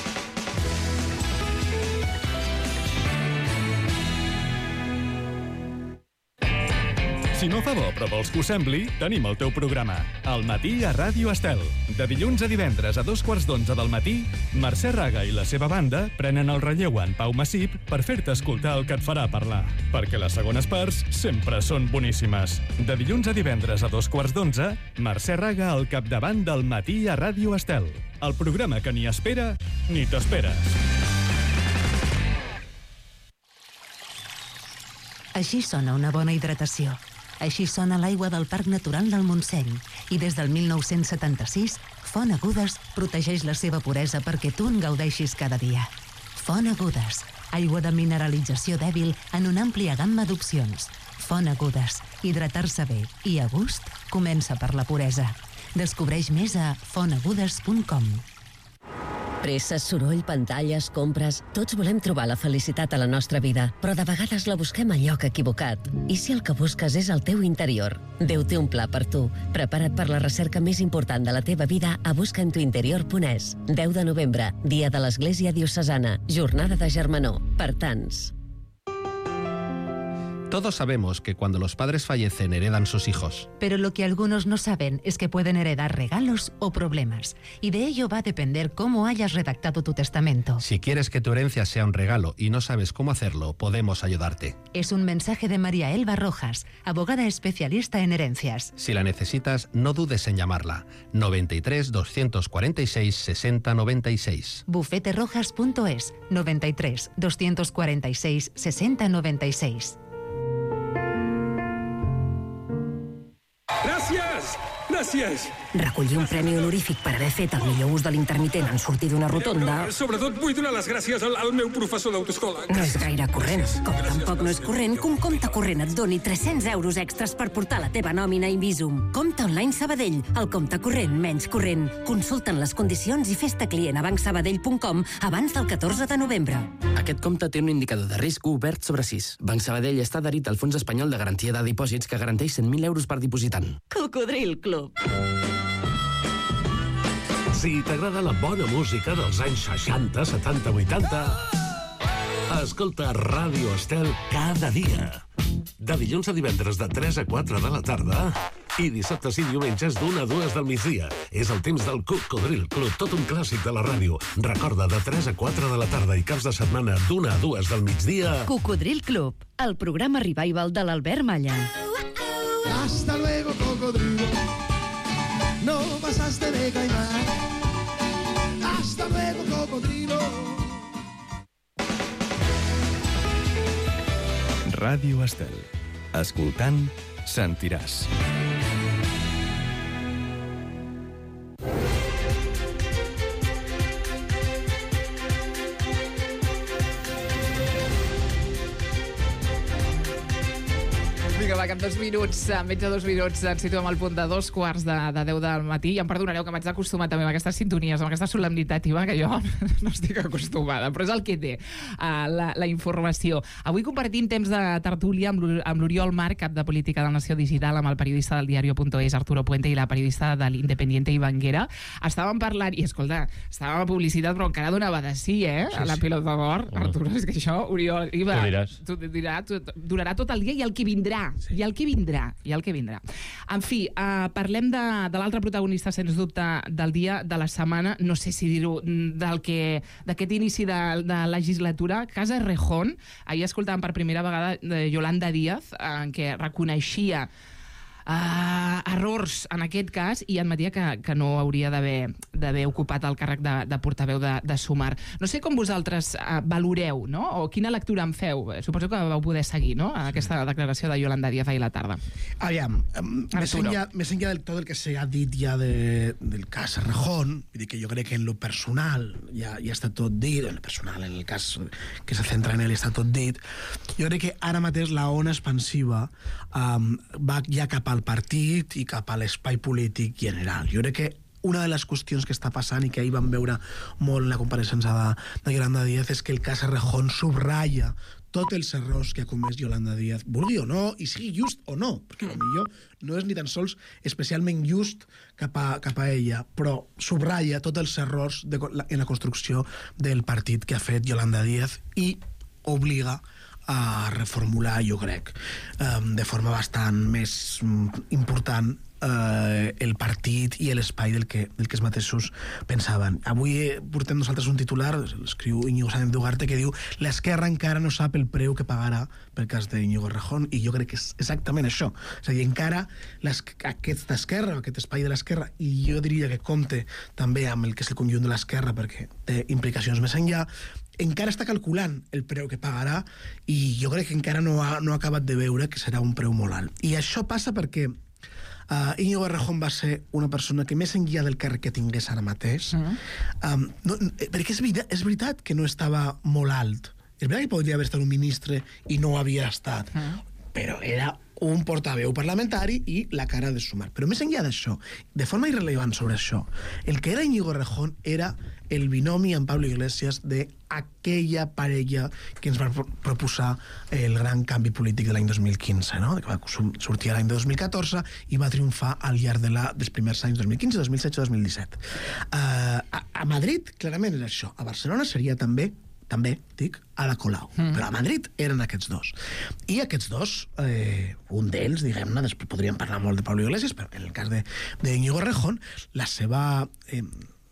Si no fa bo, però vols que ho sembli, tenim el teu programa. Al matí a Ràdio Estel. De dilluns a divendres a dos quarts d'onze del matí, Mercè Raga i la seva banda prenen el relleu en Pau Massip per fer-te escoltar el que et farà parlar. Perquè les segones parts sempre són boníssimes. De dilluns a divendres a dos quarts d'onze, Mercè Raga al capdavant del matí a Ràdio Estel. El programa que ni espera ni t'esperes. Així sona una bona hidratació. Així sona l'aigua del Parc Natural del Montseny. I des del mil nou-cents setanta-sis, Font Agudes protegeix la seva puresa perquè tu en gaudeixis cada dia. Font Agudes, aigua de mineralització dèbil en una àmplia gamma d'opcions. Font Agudes, hidratar-se bé i a gust comença per la puresa. Descobreix més a font agudes punt com. Presses, soroll, pantalles, compres... Tots volem trobar la felicitat a la nostra vida, però de vegades la busquem al lloc equivocat. I si el que busques és el teu interior? Déu té un pla per tu. Prepara't per la recerca més important de la teva vida a busca en tu interior punt es. deu de novembre, dia de l'Església Diocesana, jornada de germanor, per tants. Todos sabemos que cuando los padres fallecen heredan sus hijos. Pero lo que algunos no saben es que pueden heredar regalos o problemas. Y de ello va a depender cómo hayas redactado tu testamento. Si quieres que tu herencia sea un regalo y no sabes cómo hacerlo, podemos ayudarte. Es un mensaje de María Elba Rojas, abogada especialista en herencias. Si la necesitas, no dudes en llamarla. noventa y tres, doscientos cuarenta y seis, sesenta noventa y seis. bufete rojas punto es, noventa y tres, doscientos cuarenta y seis, sesenta noventa y seis. Gràcies! Gràcies! Recollir un premi honorífic per haver fet el millor ús de l'intermitent en sortir d'una rotonda... Però, sobretot vull donar les gràcies al, al meu professor d'autoescola. No és gaire corrent. Com tampoc no és corrent que un compte corrent et doni tres-cents euros extras per portar la teva nòmina a Invisum. Compte online Sabadell, el compte corrent menys corrent. Consulta'n les condicions i fes-te client a banc sabadell punt com abans del catorze de novembre. Aquest compte té un indicador de risc obert sobre sis. Banc Sabadell està adherit al Fons Espanyol de Garantia de Dipòsits que garanteix cent mil euros per dipositant. Cocodril Club. Si t'agrada la bona música dels anys seixanta, setanta, vuitanta, escolta Ràdio Estel cada dia. De dilluns a divendres de tres a quatre de la tarda i dissabtes i diumenges d'una a dues del migdia. És el temps del Cocodril Club, tot un clàssic de la ràdio. Recorda, de tres a quatre de la tarda i caps de setmana d'una a dues del migdia... Cocodril Club, el programa revival de l'Albert Malla. Hasta luego, cocodrilo. No pasaste de caimán. Hasta luego, cocodrilo. Ràdio Estel. Escoltant, sentiràs. Vinga, va, que en dos minuts, en menys de dos minuts, ens situem al punt de dos quarts de, de deu del matí. I em perdonareu que m'haig d'acostumar també amb aquestes sintonies, amb aquesta solemnitat, Iva, que jo no estic acostumada, però és el que té uh, la, la informació. Avui compartim temps de tertúlia amb l'Oriol Marc, cap de Política de la Nació Digital, amb el periodista del diario punto es, Arturo Puente, i la periodista de l'Independiente, Ivan Guerra. Estàvem parlant, i escolta, estàvem a publicitat, però encara donava de sí, eh? Sí, a la pilota d'or. Arturo, és que això, Oriol, Iva, tu diràs. Tu dirà, tu, durarà tot el dia i el que vindrà. Sí. I el que vindrà, i el que vindrà. En fi, uh, parlem de, de l'altre protagonista, sens dubte, del dia, de la setmana, no sé si dir-ho, del que d'aquest inici de, de legislatura, Casa Errejón. Ahir escoltàvem per primera vegada de Yolanda Díaz, en què reconeixia uh, errors en aquest cas i admetia que, que no hauria d'haver ocupat el càrrec de, de portaveu de, de Sumar. No sé com vosaltres uh, valoreu, no? O quina lectura en feu. Suposo que vau poder seguir, no?, aquesta declaració de Yolanda Díaz ahir a la tarda. Aviam, més enllà, més enllà del tot el que s'ha dit ja de, del cas Errejón, vull dir que jo crec que en lo personal ja, ja està tot dit, en lo personal, en el cas que se centra en ell està tot dit. Jo crec que ara mateix la ona expansiva um, va ja cap al partit i cap a l'espai polític general. Jo crec que una de les qüestions que està passant i que ahir vam veure molt en la compareixença de, de Yolanda Díaz és que el cas Errejón subratlla tots els errors que ha comès Yolanda Díaz, vulgui o no, i sigui just o no, perquè potser no és ni tan sols especialment just cap a, cap a ella, però subratlla tots els errors de, en la construcció del partit que ha fet Yolanda Díaz i obliga a reformular, jo crec, de forma bastant més important eh, el partit i l'espai del que, del que els mateixos pensaven. Avui portem nosaltres un titular, l'escriu Íñigo Sáenz de Ugarte, que diu l'esquerra encara no sap el preu que pagarà pel cas d'Íñigo Errejón, i jo crec que és exactament això. És a dir, encara aquesta esquerra, aquest espai de l'esquerra, i jo diria que compte també amb el que és el conjunt de l'esquerra, perquè té implicacions més enllà, encara està calculant el preu que pagarà i jo crec que encara no ha, no ha acabat de veure que serà un preu molt alt. I això passa perquè uh, Íñigo Errejón va ser una persona que més enllà del càrrec que tingués ara mateix, uh-huh. um, no, perquè és veritat, és veritat que no estava molt alt. És veritat que podria haver estat un ministre i no ho havia estat, uh-huh. però era un portaveu parlamentari i la cara de Sumar. Però més enllà d'això, de forma irrellevant sobre això, el que era Íñigo Errejón era el binomi amb Pablo Iglesias d'aquella parella que ens va proposar el gran canvi polític de l'any dos mil quinze, no? Que va sortir l'any dos mil catorze i va triomfar al llarg de la, dels primers anys dos mil quinze, dos mil setze, dos mil disset. Uh, a, a Madrid, clarament, era això. A Barcelona seria també també, dic, Ada Colau. Mm. Però a Madrid eren aquests dos. I aquests dos, eh, un d'ells, diguem-ne, després podríem parlar molt de Pablo Iglesias, però en el cas de, de Íñigo Errejón, la seva, eh,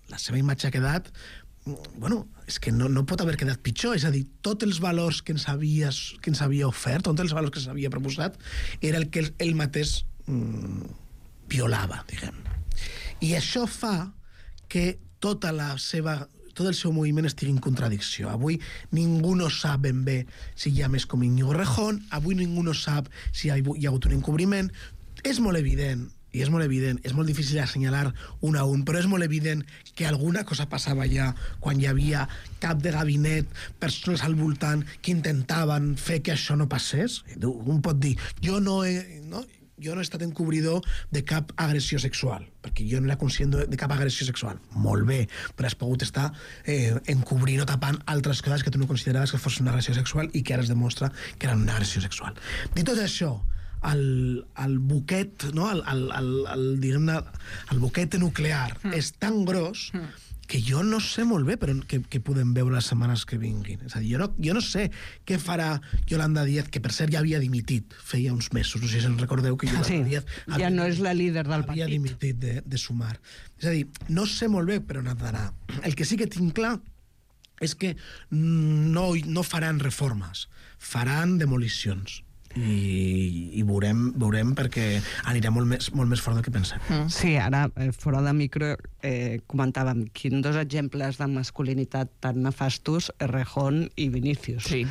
la seva imatge ha quedat, bueno, és que no, no pot haver quedat pitjor, és a dir, tots els valors que ens havia, que ens havia ofert, tots els valors que s'havia proposat, era el que ell mateix mm, violava, diguem. I això fa que tota la seva tot el seu moviment estigui en contradicció. Avui ningú no sap ben bé si hi ha més com Íñigo Errejón, avui ningú no sap si hi ha, hi ha hagut un encobriment. És molt evident, i és molt evident, és molt difícil assenyalar un a un, però és molt evident que alguna cosa passava ja quan hi havia cap de gabinet, persones al voltant que intentaven fer que això no passés. Un pot dir, jo no he... No? jo no he estat encobridor de cap agressió sexual, perquè jo no era conscient de, de cap agressió sexual. Molt bé, però has pogut estar eh, encobrint o tapant altres coses que tu no consideraves que fos una agressió sexual i que ara es demostra que eren una agressió sexual. Dit tot això, el, el buquet, no? el, el, el, el, diguem-ne, el buquet nuclear mm. és tan gros mm. que jo no sé molt bé però que, que podem veure les setmanes que vinguin. És a dir, jo no, jo no sé què farà Yolanda Díaz, que per cert ja havia dimitit feia uns mesos, no sé si en recordeu que Yolanda sí, Díaz ja havia, no és la líder del havia partit. dimitit de, de Sumar. És a dir, no sé molt bé per on ha d'anar. El que sí que tinc clar és que no, no faran reformes, faran demolicions. I, i veurem, veurem perquè anirà molt més, molt més fort del que pensem. Mm. Sí, ara, eh, fora de micro, eh, comentàvem quins dos exemples de masculinitat tan nefastos, Errejón i Vinícius. Sí.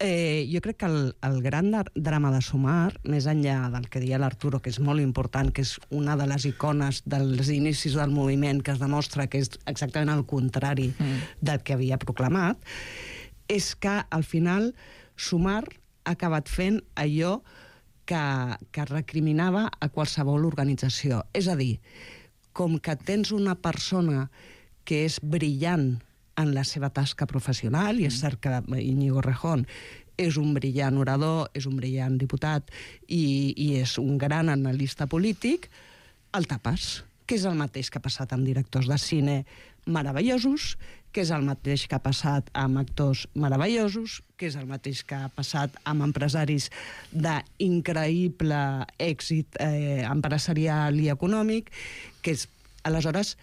Eh, jo crec que el, el gran drama de Sumar, més enllà del que deia l'Arturo, que és molt important, que és una de les icones dels inicis del moviment, que es demostra que és exactament el contrari mm. del que havia proclamat, és que al final Sumar ha acabat fent allò que, que recriminava a qualsevol organització. És a dir, com que tens una persona que és brillant en la seva tasca professional, i és cert que Íñigo Errejón és un brillant orador, és un brillant diputat i, i és un gran analista polític, el tapes, que és el mateix que ha passat amb directors de cine meravellosos, que és el mateix que ha passat amb actors meravellosos, que és el mateix que ha passat amb empresaris d'increïble èxit eh, empresarial i econòmic, que és, aleshores,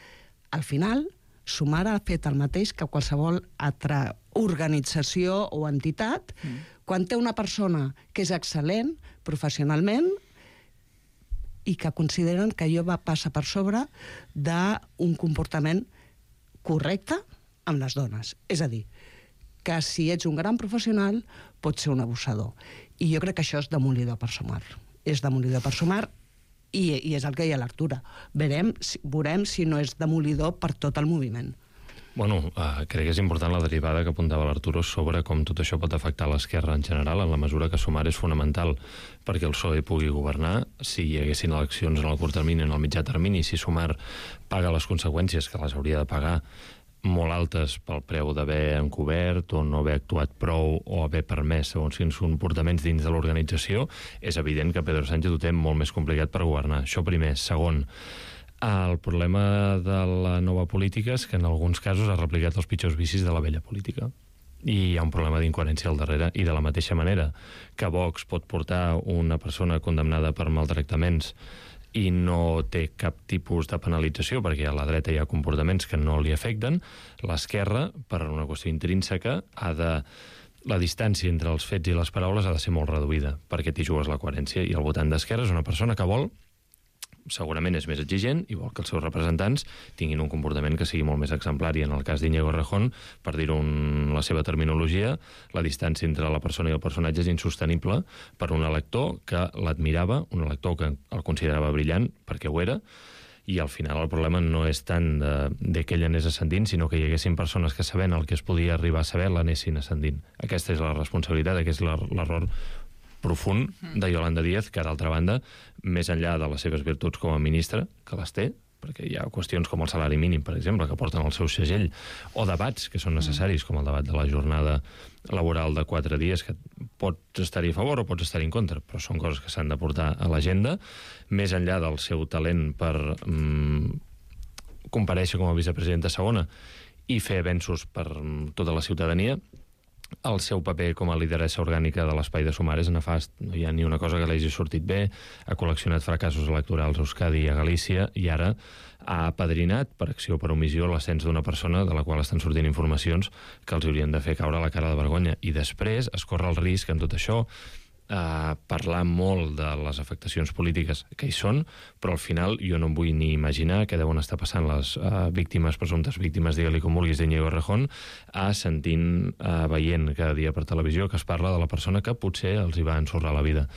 al final, Sumar ha fet el mateix que qualsevol altra organització o entitat, mm. quan té una persona que és excel·lent professionalment, i que consideren que allò va passar per sobre d'un comportament correcte amb les dones. És a dir, que si ets un gran professional pots ser un abusador. I jo crec que això és demolidor per sumar. És demolidor per sumar i, i és el que hi ha a l'Artura. Veurem, veurem si no és demolidor per tot el moviment. Bueno, uh, crec que és important la derivada que apuntava l'Arturo sobre com tot això pot afectar l'esquerra en general, en la mesura que Sumar és fonamental perquè el P S O E pugui governar. Si hi haguessin eleccions en el curt termini, en el mitjà termini, si Sumar paga les conseqüències que les hauria de pagar molt altes pel preu d'haver encobert o no haver actuat prou o haver permès segons quins comportaments dins de l'organització, és evident que Pedro Sánchez ho té molt més complicat per governar. Això primer. Segon, el problema de la nova política és que en alguns casos ha replicat els pitjors vicis de la vella política. I hi ha un problema d'incoherència al darrere. I de la mateixa manera que Vox pot portar una persona condemnada per maltractaments i no té cap tipus de penalització perquè a la dreta hi ha comportaments que no li afecten, l'esquerra, per una qüestió intrínseca, ha de... la distància entre els fets i les paraules ha de ser molt reduïda, perquè t'hi jugues la coherència, i el votant d'esquerra és una persona que vol, segurament és més exigent i vol que els seus representants tinguin un comportament que sigui molt més exemplar, i en el cas d'Íñigo Errejón, per dir-ho en la seva terminologia, la distància entre la persona i el personatge és insostenible per un elector que l'admirava, un elector que el considerava brillant, perquè ho era, i al final el problema no és tant de, de que ell anés ascendint, sinó que hi haguessin persones que sabent el que es podia arribar a saber l'anessin ascendint. Aquesta és la responsabilitat, aquest és l'error profund de Yolanda Díaz, que, d'altra banda, més enllà de les seves virtuts com a ministra, que les té, perquè hi ha qüestions com el salari mínim, per exemple, que porten el seu segell, o debats que són necessaris, com el debat de la jornada laboral de quatre dies, que pots estar-hi a favor o pots estar-hi en contra, però són coses que s'han de portar a l'agenda, més enllà del seu talent per mm, comparèixer com a vicepresidenta segona i fer avenços per mm, tota la ciutadania. El seu paper com a lideressa orgànica de l'espai de Sumar és nefast. No hi ha ni una cosa que l'hagi sortit bé, ha col·leccionat fracassos electorals a Euskadi i a Galícia, i ara ha apadrinat, per acció o per omissió, l'ascens d'una persona de la qual estan sortint informacions que els haurien de fer caure la cara de vergonya. I després es corre el risc en tot això a parlar molt de les afectacions polítiques que hi són, però al final jo no em vull ni imaginar què deuen estar passant les uh, víctimes, presumptes víctimes, digue-li com vulguis, d'Íñigo Errejón, a sentint, uh, veient cada dia per televisió que es parla de la persona que potser els hi va ensorrar la vida.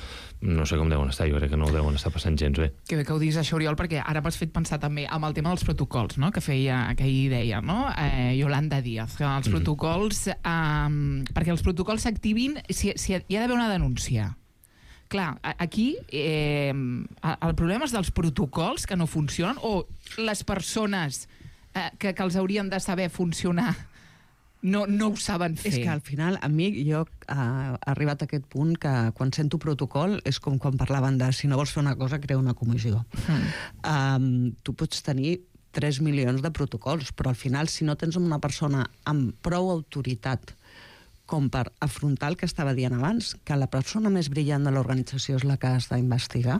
No sé com deuen estar, jo crec que no ho deuen estar passant gens bé. Que bé que ho diguis això, Oriol, perquè ara m'has fet pensar també amb el tema dels protocols, no?, que feia, que hi deia, no?, eh, Yolanda Díaz, que els mm. protocols, eh, perquè els protocols s'activin si, si hi ha d'haver una denúncia. Clar, aquí eh, el problema és dels protocols que no funcionen o les persones eh, que, que els haurien de saber funcionar no, no ho saben fer. És que al final, a mi, jo he arribat a aquest punt que quan sento protocol és com quan parlaven de si no vols fer una cosa, crea una comissió. Mm. Um, tu pots tenir tres milions de protocols, però al final, si no tens una persona amb prou autoritat com per afrontar el que estava dient abans, que la persona més brillant de l'organització és la que has d'investigar.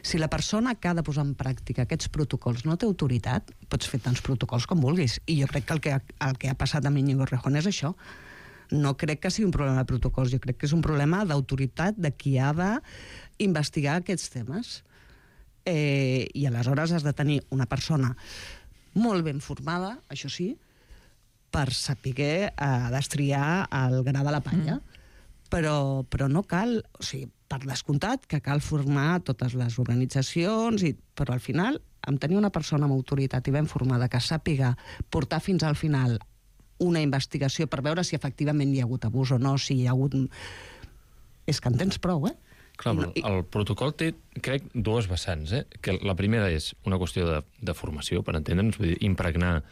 Si la persona que ha de posar en pràctica aquests protocols no té autoritat, pots fer tants protocols com vulguis. I jo crec que el que ha, el que ha passat amb Íñigo Errejón és això. No crec que sigui un problema de protocols, jo crec que és un problema d'autoritat de qui ha d'investigar aquests temes. Eh, I aleshores has de tenir una persona molt ben formada, això sí, per saber eh, destriar el gra de la palla. Mm. Però, però no cal, o sigui, per descomptat que cal formar totes les organitzacions, i, però al final, amb tenir una persona amb autoritat i ben formada que sàpiga portar fins al final una investigació per veure si efectivament hi ha hagut abús o no, si hi ha hagut... És que en tens prou, eh? Clar, però el protocol té, crec, dues vessants, eh? Que la primera és una qüestió de, de formació, per entendre'ns, vull dir, impregnar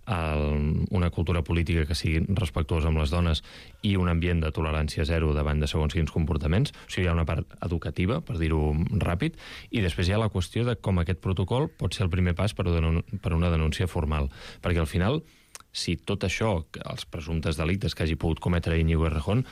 el, una cultura política que sigui respectuosa amb les dones i un ambient de tolerància zero davant de segons quins comportaments. O sigui, hi ha una part educativa, per dir-ho ràpid, i després hi ha la qüestió de com aquest protocol pot ser el primer pas per una denúncia formal. Perquè al final, si tot això, els presumptes delictes que hagi pogut cometre Íñigo Errejón,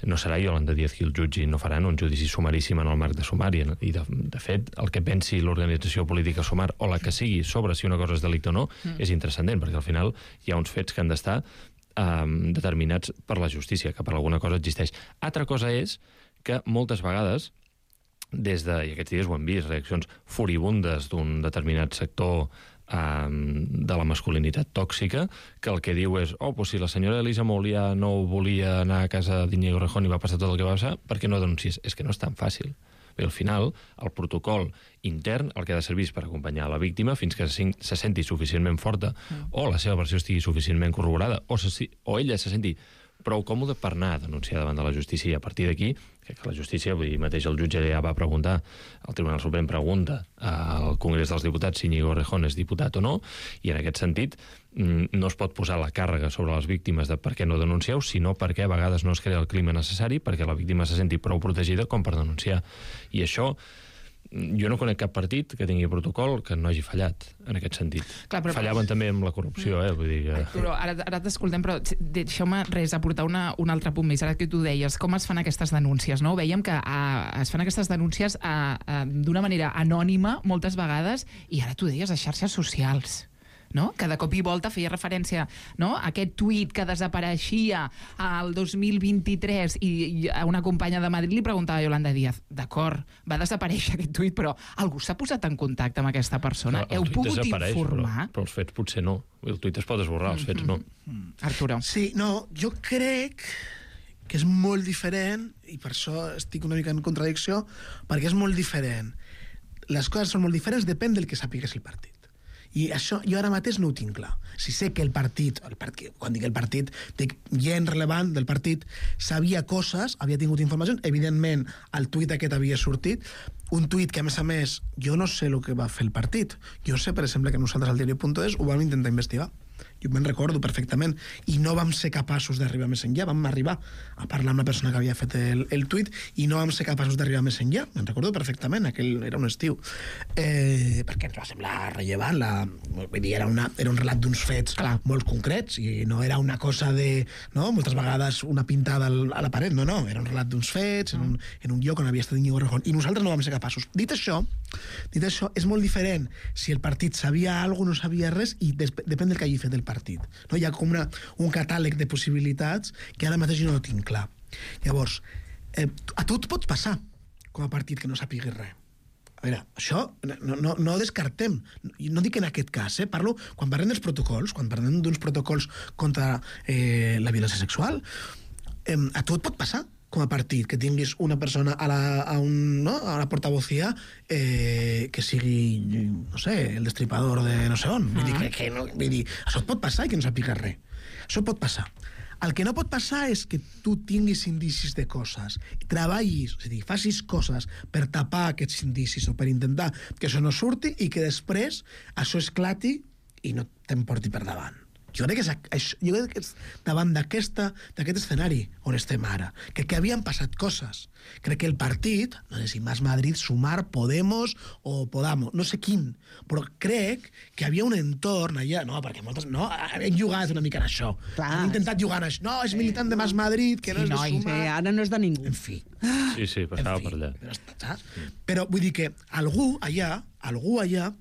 no serà Yolanda Díaz qui el jutgi, no faran un judici sumaríssim en el marc de Sumari. I, de, de fet, el que pensi l'organització política Sumar, o la que sigui, sobre si una cosa és delicte o no, mm. és intranscendent, perquè al final hi ha uns fets que han d'estar um, determinats per la justícia, que per alguna cosa existeix. Altra cosa és que moltes vegades des de, i aquests dies ho hem vist, reaccions furibundes d'un determinat sector um, de la masculinitat tòxica, que el que diu és, oh, pues si la senyora Elisa Moulià no volia anar a casa d'Iñigo Errejón i va passar tot el que va passar, per què no denuncies? És que no és tan fàcil. Bé, al final, el protocol intern el que ha de servir és per acompanyar la víctima fins que se, se senti suficientment forta mm. o la seva versió estigui suficientment corroborada o, se, o ella se senti prou còmode per anar a denunciar davant de la justícia, i a partir d'aquí, que la justícia, vull dir, mateix el jutge ja va preguntar, el Tribunal Suprem pregunta al Congrés dels Diputats si Iñigo Errejón és diputat o no, i en aquest sentit no es pot posar la càrrega sobre les víctimes de per què no denuncieu, sinó perquè a vegades no es crea el clima necessari perquè la víctima se senti prou protegida com per denunciar. I això, jo no conec cap partit que tingui protocol que no hagi fallat en aquest sentit. Clar, però... Fallaven també amb la corrupció, eh? Vull dir que... Però ara, ara t'escoltem, però deixeu-me res, aportar una, un altre punt més. Ara que tu deies, com es fan aquestes denúncies, no? Veiem que a, es fan aquestes denúncies d'una manera anònima, moltes vegades, i ara tu deies a xarxes socials, no? Que de cop i volta feia referència, no? A aquest tuit que desapareixia al dos mil vint-i-tres i, i a una companya de Madrid li preguntava a Yolanda Díaz, d'acord, va desaparèixer aquest tuit, però algú s'ha posat en contacte amb aquesta persona? Heu pogut informar? Però, però els fets potser no. El tuit es pot esborrar, els fets no. Mm-hmm. Arturo. Sí, no, jo crec que és molt diferent, i per això estic una mica en contradicció, perquè és molt diferent. Les coses són molt diferents, depèn del que sàpigues el partit. I això jo ara mateix no ho tinc clar. Si sé que el partit, el partit quan dic el partit, dic gent relevant del partit, sabia coses, havia tingut informació, evidentment el tuit aquest havia sortit, un tuit que a més a més jo no sé el que va fer el partit. Jo sé, per exemple, que nosaltres al diari punt es ho vam intentar investigar. Jo me'n recordo perfectament, i no vam ser capaços d'arribar més enllà. Vam arribar a parlar amb la persona que havia fet el, el tuit i no vam ser capaços d'arribar més enllà. Me'n recordo perfectament, aquell era un estiu. Eh, perquè ens va semblar rellevant. La, vull dir, era, una, era un relat d'uns fets Clar. molt concrets, i no era una cosa de... No? Moltes vegades una pintada a la paret, no, no. Era un relat d'uns fets, en un, en un lloc on havia estat Iñigo Errejón, i nosaltres no vam ser capaços. Dit això, dit això, és molt diferent si el partit sabia alguna cosa o no sabia res, i des, depèn del que hagi fet el partit. No? Hi ha com una, un catàleg de possibilitats que ara mateix jo no tinc clar. Llavors, eh, a tu et pot passar com a partit que no sàpiguis res. A veure, això no, no, no descartem. No dic en aquest cas, eh? Parlo quan parlem dels protocols, quan parlem d'uns protocols contra eh, la violència sexual, eh, a tu et pot passar com a partit, que tinguis una persona a la, a un, no? a la portavocía eh, que sigui, no sé, el destripador de no sé on. Vull dir, que, que no, vull dir, això et pot passar i que no sàpigues res. Això pot passar. El que no pot passar és que tu tinguis indicis de coses, treballis, és a dir, facis coses per tapar aquests indicis o per intentar que això no surti i que després això esclati i no t'emporti per davant. Jo crec que és, jo crec que és davant d'aquest escenari on estem ara. Crec que havien passat coses. Crec que el partit, no sé si Más Madrid, Sumar, Podemos o Podamos, no sé quin, però crec que havia un entorn allà, no, perquè moltes, no, havien jugat una mica en això. Clar. Han intentat jugar en això. No, és militant de Más Madrid, que no sí, és de no, Sumar. Sí, ara no és de ningú. En fi. Sí, sí, passava fi, per allà. Però, però vull dir que algú allà, algú allà,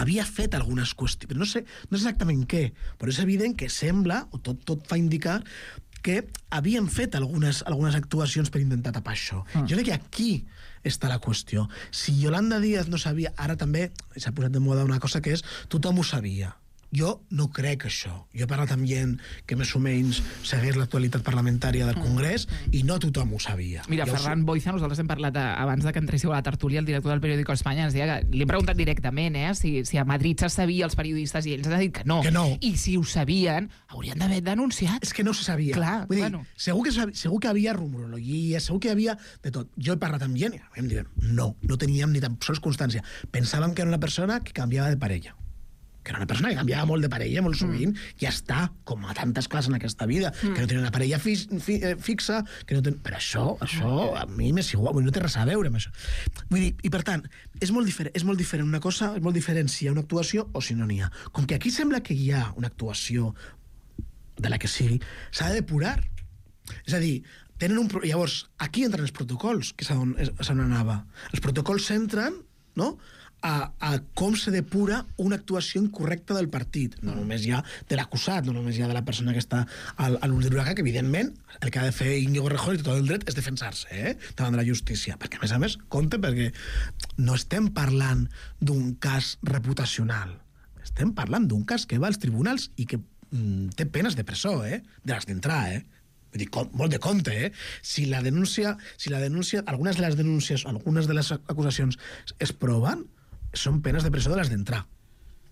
havia fet algunes qüestions, però no sé, no sé exactament què, però és evident que sembla, o tot, tot fa indicar, que havien fet algunes, algunes actuacions per intentar tapar això. Ah. Jo crec que aquí està la qüestió. Si Yolanda Díaz no sabia, ara també s'ha posat de moda una cosa que és tothom ho sabia. Jo no crec això. Jo he parlat amb gent que més o menys segueix l'actualitat parlamentària del Congrés i no tothom ho sabia. Mira, jo Ferran Boiza, nosaltres hem parlat a, abans de que entréssiu a la tertúlia, el director del periòdico Espanya ens deia que li hem preguntat directament eh, si, si a Madrid se sabia els periodistes i ells han dit que no. Que no. I si ho sabien, haurien d'haver denunciat. És que no se sabia. Clar, Vull dir, bueno. segur, que, segur que havia rumorologia, segur que havia de tot. Jo he parlat amb gent i em diuen no, no teníem ni tan sols constància. Pensàvem que era una persona que canviava de parella. Que era una persona que canviava molt de parella, molt sovint, mm. ja està, com a tantes coses en aquesta vida, mm. que no tenia una parella fi, fi, fixa, que no ten... però això, això a mi m'és igual, no té res a veure amb això. Vull dir, i per tant, és molt diferent, és molt diferent una cosa, és molt diferent si hi ha una actuació o si no n'hi ha. Com que aquí sembla que hi ha una actuació de la que sigui, s'ha de depurar. És a dir, tenen un... Llavors, aquí entren els protocols, que és on, és on anava. Els protocols s'entren, no?, a, a com se depura una actuació incorrecta del partit. No només ja de l'acusat, no només ja de la persona que està al, a l'ull de l'huracà, que evidentment el que ha de fer Íñigo Errejón i tot el dret és defensar-se, eh? davant de la justícia. Perquè, a més a més, compte, perquè no estem parlant d'un cas reputacional. Estem parlant d'un cas que va als tribunals i que mm, té penes de presó, eh? de les d'entrar, eh? Vull dir, com, molt de compte, eh? Si la denúncia, si la denúncia, algunes de les denúncies, algunes de les acusacions es proven, són penes de presó de les d'entrar.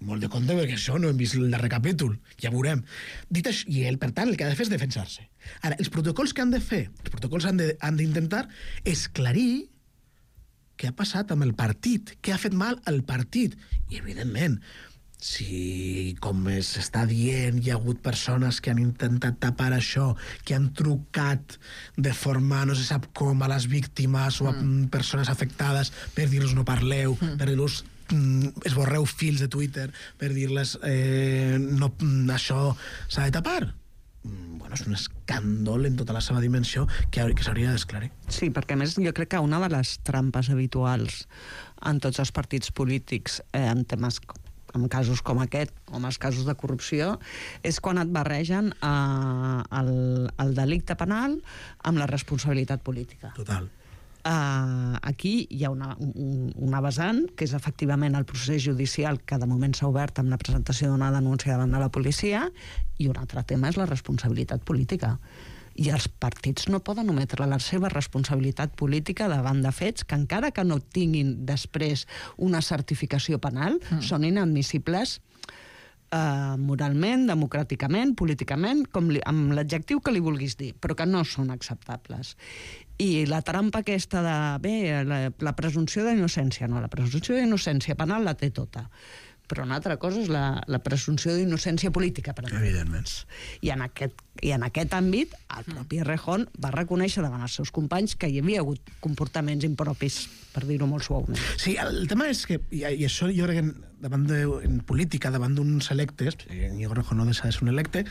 Molt de compte, perquè això no hem vist el darrer capítol, ja veurem. Dit això, i ell, per tant, el que ha de fer és defensar-se. Ara, els protocols que han de fer, els protocols han de, han d'intentar esclarir què ha passat amb el partit, què ha fet mal al partit. I, evidentment, si, com s'està dient, hi ha hagut persones que han intentat tapar això, que han trucat de forma no se sap com a les víctimes o a mm. persones afectades per dir-los no parleu, mm. per dir-los mm, esborreu fils de Twitter, per dir-les eh, no, això s'ha de tapar. Mm, bueno, és un escàndol en tota la seva dimensió que, que s'hauria d'esclarir. Sí, perquè a més jo crec que una de les trampes habituals en tots els partits polítics eh, en temes com en casos com aquest, o en els casos de corrupció, és quan et barregen eh, el, el delicte penal amb la responsabilitat política. Total. Uh, aquí hi ha una, un, una vessant, que és efectivament el procés judicial que de moment s'ha obert amb la presentació d'una denúncia davant de la policia, i un altre tema és la responsabilitat política. I els partits no poden ometre la seva responsabilitat política davant de fets que, encara que no tinguin després una certificació penal, mm. són inadmissibles eh, moralment, democràticament, políticament, com li, amb l'adjectiu que li vulguis dir, però que no són acceptables. I la trampa aquesta de, bé, la, la presumpció d'innocència, no, la presumpció d'innocència penal la té tota. Però una altra cosa és la, la presumpció d'innocència política, per exemple. Evidentment. I en aquest, i en aquest àmbit, el propi Errejón va reconèixer davant els seus companys que hi havia hagut comportaments impropis, per dir-ho molt suaument. Sí, el tema és que, i, i això jo crec que davant de, en política, davant d'uns electes, Íñigo Errejón no deixa de ser un electe,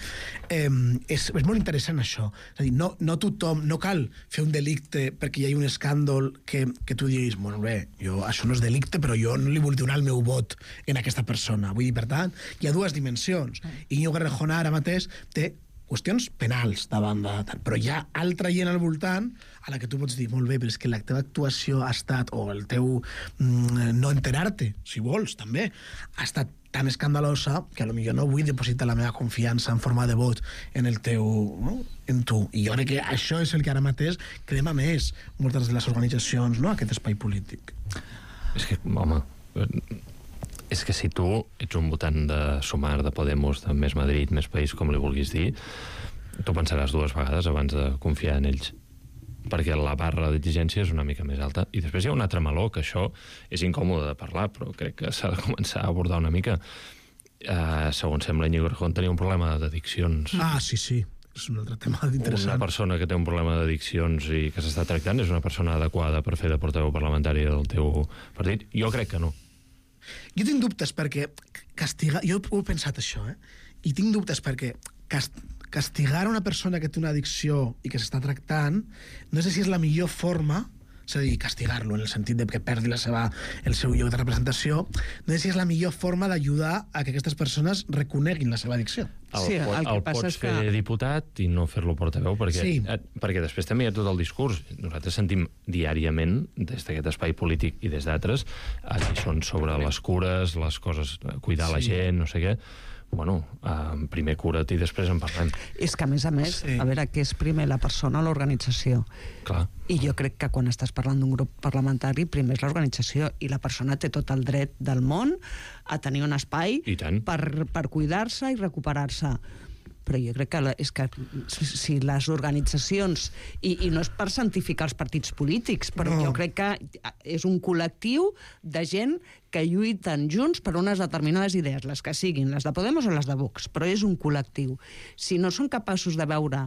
eh, és, és molt interessant això. És a dir, no, no tothom, no cal fer un delicte perquè hi hagi un escàndol que, que tu diguis, bueno, bé, jo, això no és delicte, però jo no li vull donar el meu vot en aquesta persona. Vull dir, per tant, hi ha dues dimensions. Íñigo Errejón ara mateix té qüestions penals davant de... Però hi ha altra gent al voltant a la que tu pots dir, molt bé, però és que la teva actuació ha estat, o el teu mm, no enterar-te, si vols, també, ha estat tan escandalosa que potser no vull depositar la meva confiança en forma de vot en el teu... No? en tu. I jo crec que això és el que ara mateix crema més moltes de les organitzacions, no?, aquest espai polític. És que, home... És que si tu ets un votant de Sumar, de Podemos, de Més Madrid, Més País, com li vulguis dir, tu pensaràs dues vegades abans de confiar en ells. Perquè la barra d'exigència és una mica més alta. I després hi ha un altre meló, que això és incòmode de parlar, però crec que s'ha de començar a abordar una mica. Uh, segons sembla, Íñigo Errejón tenia un problema d'addiccions. Ah, sí, sí. És un altre tema interessant. Una persona que té un problema d'addiccions i que s'està tractant és una persona adequada per fer de portaveu parlamentari del teu partit? Jo crec que no. Jo tinc dubtes perquè castigar... Jo ho he pensat això, eh? I tinc dubtes perquè cast... castigar una persona que té una addicció i que s'està tractant no sé si és la millor forma, és a dir, castigar-lo en el sentit de que perdi la seva, el seu lloc de representació, no sé si és la millor forma d'ajudar a que aquestes persones reconeguin la seva addicció. El, sí, el, el, el pots fer que... diputat i no fer-lo portaveu, perquè, sí. eh, perquè després també hi ha tot el discurs. Nosaltres sentim diàriament, des d'aquest espai polític i des d'altres, lliçons sobre les cures, les coses, cuidar sí. la gent, no sé què. Bueno, eh, primer cura't i després en parlem. És que, a més a més, sí. a veure, què és primer, la persona o l'organització? Clar. I jo crec que quan estàs parlant d'un grup parlamentari, primer és l'organització, i la persona té tot el dret del món a tenir un espai per, per cuidar-se i recuperar-se. Però jo crec que, la, és que si les organitzacions, i, i no és per santificar els partits polítics, però no. jo crec que és un col·lectiu de gent que lluiten junts per unes determinades idees, les que siguin, les de Podemos o les de Vox, però és un col·lectiu. Si no són capaços de veure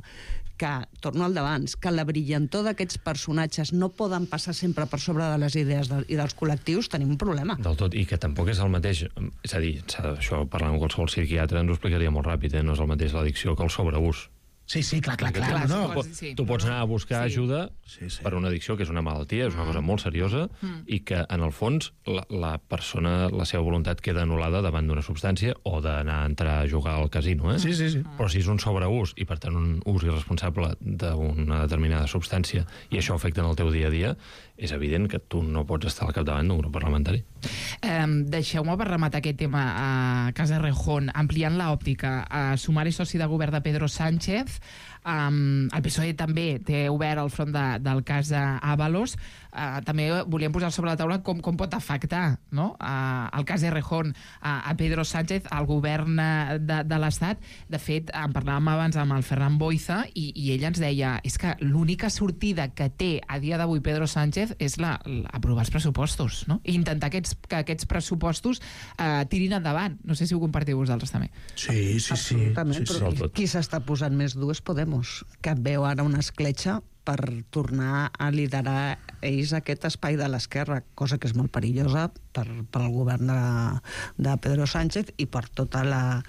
que, torno al d'abans, que la brillantor d'aquests personatges no poden passar sempre per sobre de les idees de, i dels col·lectius, tenim un problema. Del tot, i que tampoc és el mateix, és a dir, això parlant amb qualsevol psiquiatre ens ho explicaria molt ràpid, eh? No és el mateix l'addicció que el sobreús. Sí, sí, clar, clar, clar. clar no, tu, no. sí. tu pots anar a buscar sí. ajuda sí, sí. per una addicció, que és una malaltia, és una cosa molt seriosa, mm. i que, en el fons, la, la persona, la seva voluntat queda anul·lada davant d'una substància o d'anar a entrar a jugar al casino, eh? Sí, sí, sí. Però si és un sobreús, i per tant un ús irresponsable d'una determinada substància, i això afecta en el teu dia a dia, és evident que tu no pots estar al capdavant d'un grup parlamentari. Eh, Deixeu-me per rematar aquest tema a Casa Rejón, ampliant l'òptica. Uh, Sumar és soci de govern de Pedro Sánchez. Um, el P S O E també té obert el front de, del cas d'Ábalos. Uh, també volíem posar sobre la taula com, com pot afectar, no? uh, el cas Errejón uh, a Pedro Sánchez, al govern de, de l'Estat. De fet, en parlàvem abans amb el Ferran Boiza i, i ell ens deia és que l'única sortida que té a dia d'avui Pedro Sánchez és la, la, aprovar els pressupostos, no? I intentar aquests, que aquests pressupostos uh, tirin endavant. No sé si ho compartiu vosaltres també. Sí, sí, sí. Absolutament, sí, però sí. qui s'està posant més dur és Podemos, que veu ara una escletxa per tornar a liderar ells aquest espai de l'esquerra, cosa que és molt perillosa per, per al govern de, de Pedro Sánchez i per tota la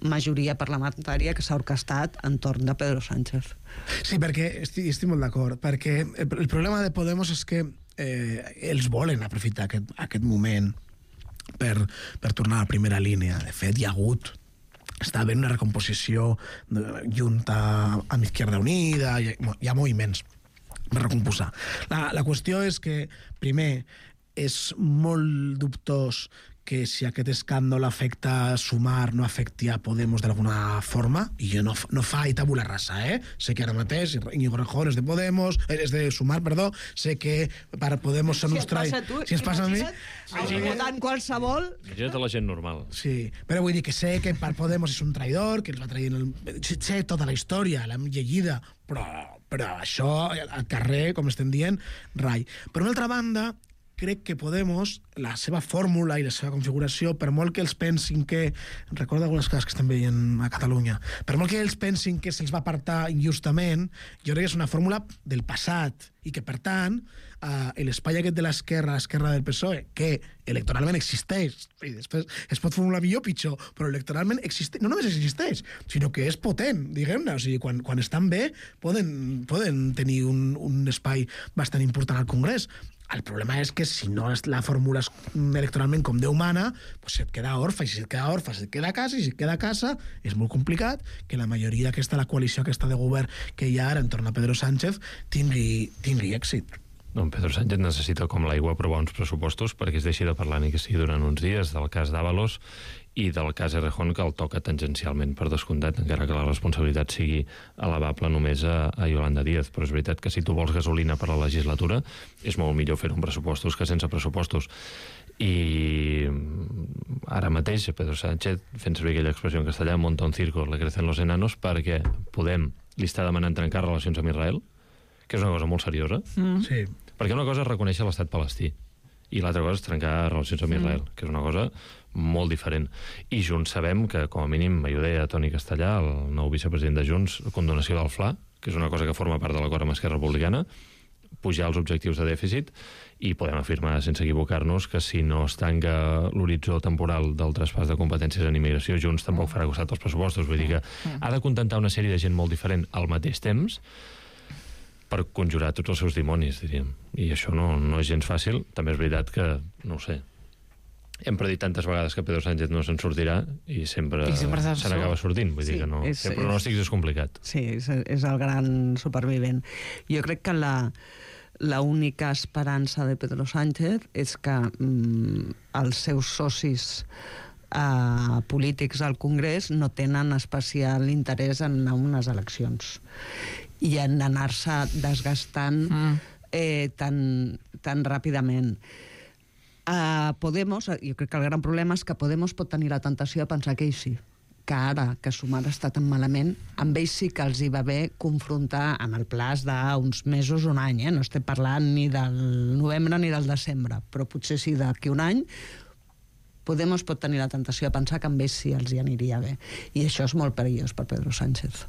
majoria parlamentària que s'ha orquestat entorn de Pedro Sánchez. Sí, perquè estic, estic molt d'acord, perquè el, el problema de Podemos és que eh, ells volen aprofitar aquest, aquest moment per, per tornar a la primera línia. De fet, hi ha hagut està havent una recomposició junta amb Izquierda Unida, hi ha, hi ha moviments per recomposar. La, la qüestió és que, primer, és molt dubtós que si aquest escàndol afecta Sumar no afecti a Podemos d'alguna forma, i jo no, no fa i tabula rasa, eh? Sé que ara mateix Íñigo Errejón és de Podemos, és de Sumar, perdó, sé que per Podemos són uns trai... Si ens passa a mi... Si votant qualsevol... Imagina't la gent normal. Sí, però vull dir que sé que per Podemos és un traïdor, que els va traient el... Sé tota la història, l'hem llegida, però, però això, al carrer, com estem dient, rai. Per una altra banda, crec que Podemos, la seva fórmula i la seva configuració, per molt que ells pensin que... Recordo algunes coses que estem veient a Catalunya. Per molt que ells pensin que se'ls va apartar injustament, jo crec que és una fórmula del passat i que, per tant, eh, l'espai aquest de l'esquerra, l'esquerra del P S O E, que electoralment existeix, i després es pot formular millor o pitjor, però electoralment existeix, no només existeix, sinó que és potent, diguem-ne. O sigui, quan, quan estan bé, poden, poden tenir un, un espai bastant important al Congrés. El problema és que si no la fórmula electoralment com Déu mana, pues et queda orfa, i si et queda orfa, si et queda a casa, i si et queda a casa, és molt complicat que la majoria d'aquesta, la coalició aquesta de govern que hi ha ara entorn a Pedro Sánchez tingui, tingui èxit. No, Pedro Sánchez necessita com l'aigua aprovar uns pressupostos perquè es deixi de parlar ni que sigui durant uns dies del cas d'Ábalos i del cas Errejón, que el toca tangencialment per descomptat, encara que la responsabilitat sigui elevable només a, a Yolanda Díaz. Però és veritat que si tu vols gasolina per la legislatura és molt millor fer-ho amb pressupostos que sense pressupostos. I ara mateix Pedro Sánchez, fent servir aquella expressió en castellà, monta un circo, le crecen los enanos, perquè Podem li està demanant trencar relacions amb Israel, que és una cosa molt seriosa. Mm. Sí. Perquè una cosa és reconèixer l'estat palestí i l'altra cosa és trencar relacions amb Israel, mm. que és una cosa molt diferent. I Junts sabem que, com a mínim, ho deia Toni Castellà, el nou vicepresident de Junts, condonació del Fla, que és una cosa que forma part de l'acord amb Esquerra Republicana, pujar els objectius de dèficit, i podem afirmar, sense equivocar-nos, que si no es tanca l'horitzó temporal del traspàs de competències en immigració, Junts tampoc farà costat als pressupostos. Vull dir que ha de contentar una sèrie de gent molt diferent al mateix temps per conjurar tots els seus dimonis, diríem. I això no, no és gens fàcil. També és veritat que, no ho sé, hem predit tantes vegades que Pedro Sánchez no se'n sortirà i sempre, I sempre se n'acaba sortint. Vull sí, dir que no, és, el pronòstic és, és complicat. Sí, és, és el gran supervivent. Jo crec que la, la única esperança de Pedro Sánchez és que mm, els seus socis eh, polítics al Congrés no tenen especial interès en unes eleccions i en anar-se desgastant mm. eh, tan, tan ràpidament. Uh, Podemos, jo crec que el gran problema és que Podemos pot tenir la tentació de pensar que ells sí, que ara que Sumar està tan malament, amb ells sí que els hi va bé confrontar en el plaç d'uns mesos, un any, eh? No estem parlant ni del novembre ni del desembre, però potser sí d'aquí un any. Podemos pot tenir la tentació de pensar que amb ells sí els hi aniria bé. I això és molt perillós per Pedro Sánchez.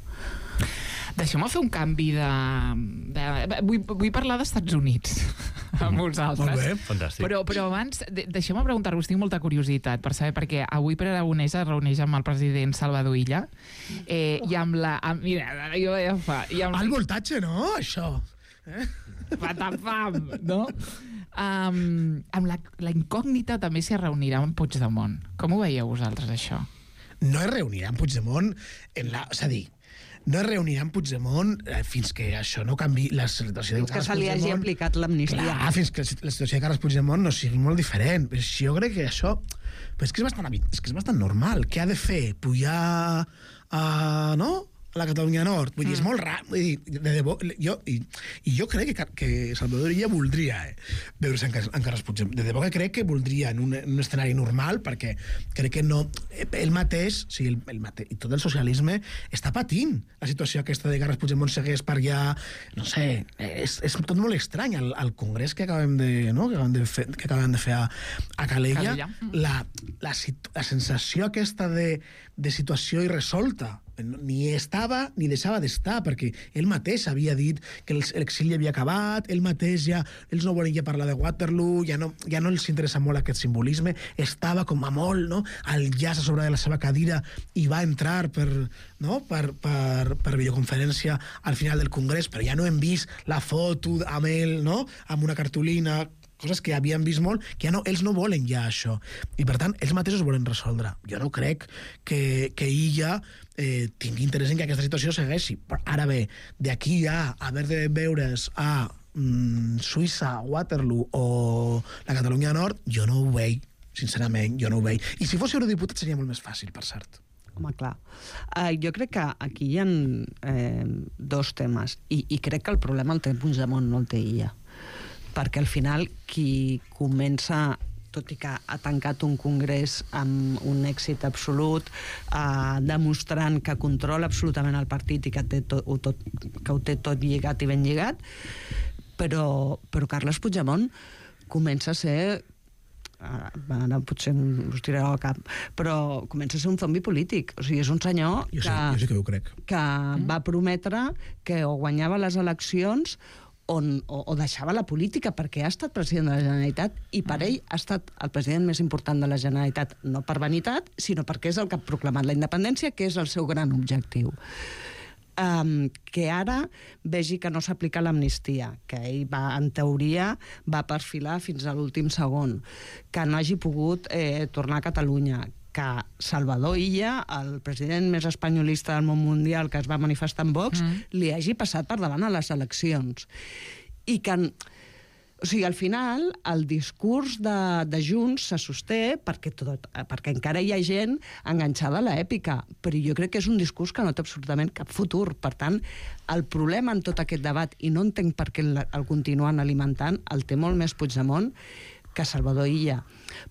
Deixeu-me fer un canvi de... de... Vull, vull parlar d'Estats Units. amb vosaltres. Molt bé. Fantàstic. Però, però abans, de, deixeu-me preguntar-vos, tinc molta curiositat per saber, perquè avui Pere Aragonès es reuneix amb el president Salvador Illa eh, i amb la... Amb, mira, jo ja fa... I amb... El voltatge, no, això? Eh? Patapam, no? Um, amb la, la incògnita també s'hi reunirà amb Puigdemont. Com ho veieu vosaltres, això? No es reunirà amb Puigdemont en la... És a dir, no es reunirà amb Puigdemont eh, fins que això no canvi la situació de Carles que se li hagi aplicat l'amnistia. Clar, fins que la situació de Carles Puigdemont no sigui molt diferent. Però jo crec que això... Però és que és bastant, és que és bastant normal. Què ha de fer? Pujar a... no? a la Catalunya Nord. Vull dir, és molt raro. Vull dir, de debò, jo, i, i jo crec que, que Salvador Illa voldria eh, veure's en, en Carles Puigdemont. De debò que crec que voldria en un, en un escenari normal, perquè crec que no... Ell mateix, o sigui, el, el mate, i tot el socialisme està patint la situació aquesta de Carles Puigdemont segueix per allà... No sé, és, és tot molt estrany. El, el congrés que acabem de, no? que acabem de, fer, que acabem de fer a, a Calella, Calella. La, la, la sensació aquesta de, de situació irresolta ni estava ni deixava d'estar, perquè ell mateix havia dit que l'exili havia acabat, ell mateix ja, ells no volen ja parlar de Waterloo, ja no, ja no els interessa molt aquest simbolisme, estava com a molt, no?, al llaç a sobre de la seva cadira i va entrar per, no?, per, per, per videoconferència al final del congrés, però ja no hem vist la foto amb ell, no?, amb una cartolina, coses que havíem vist molt, que ja no, ells no volen ja això. I per tant, ells mateixos volen resoldre. Jo no crec que, que Illa eh, tingui interès en que aquesta situació segueixi. Però ara bé, d'aquí a haver de veure's a mm, Suïssa, Waterloo o la Catalunya Nord, jo no ho veig, sincerament, jo no ho veig. I si fos eurodiputat seria molt més fàcil, per cert. Home, clar. Uh, jo crec que aquí hi ha eh, dos temes, i, i crec que el problema el té Puigdemont, no el té Illa. Perquè al final qui comença, tot i que ha tancat un congrés amb un èxit absolut, eh, demostrant que controla absolutament el partit i que, té tot, tot, que ho té tot lligat i ben lligat, però, però Carles Puigdemont comença a ser, ara potser us tiraré al cap, però comença a ser un zombi polític. O sigui, és un senyor jo que, sé, jo sé que ho crec. que mm. va prometre que o guanyava les eleccions On, o, o deixava la política, perquè ha estat president de la Generalitat i per ell ha estat el president més important de la Generalitat, no per vanitat, sinó perquè és el que ha proclamat la independència, que és el seu gran objectiu. Um, que ara vegi que no s'aplica l'amnistia, que ell va, en teoria va perfilar fins a l'últim segon, que no hagi pogut eh, tornar a Catalunya, que Salvador Illa, el president més espanyolista del món mundial que es va manifestar en Vox, mm. li hagi passat per davant a les eleccions. I que, o sigui, al final, el discurs de, de Junts se sosté perquè, tot, perquè encara hi ha gent enganxada a l'èpica, però jo crec que és un discurs que no té absolutament cap futur. Per tant, el problema en tot aquest debat, i no entenc per què el, el continuen alimentant, el té molt més Puigdemont que Salvador Illa.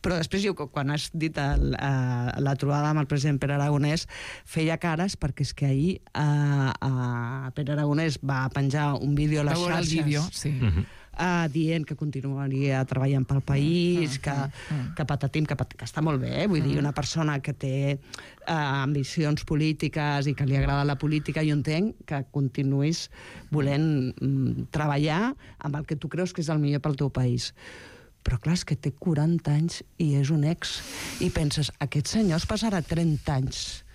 Però després, jo, quan has dit el, uh, la trobada amb el president Pere Aragonès, feia cares, perquè és que ahir uh, uh, Pere Aragonès va penjar un vídeo a les xarxes, el vídeo, sí. uh, uh, dient que continuaria treballant pel país, uh, que, uh, uh. que patatim, que, pat que està molt bé, eh? Vull uh. dir, una persona que té uh, ambicions polítiques i que li agrada la política, jo entenc que continuïs volent um, treballar amb el que tu creus que és el millor pel teu país. Però clar, és que té quaranta anys i és un ex. I penses, aquest senyor es passarà trenta anys.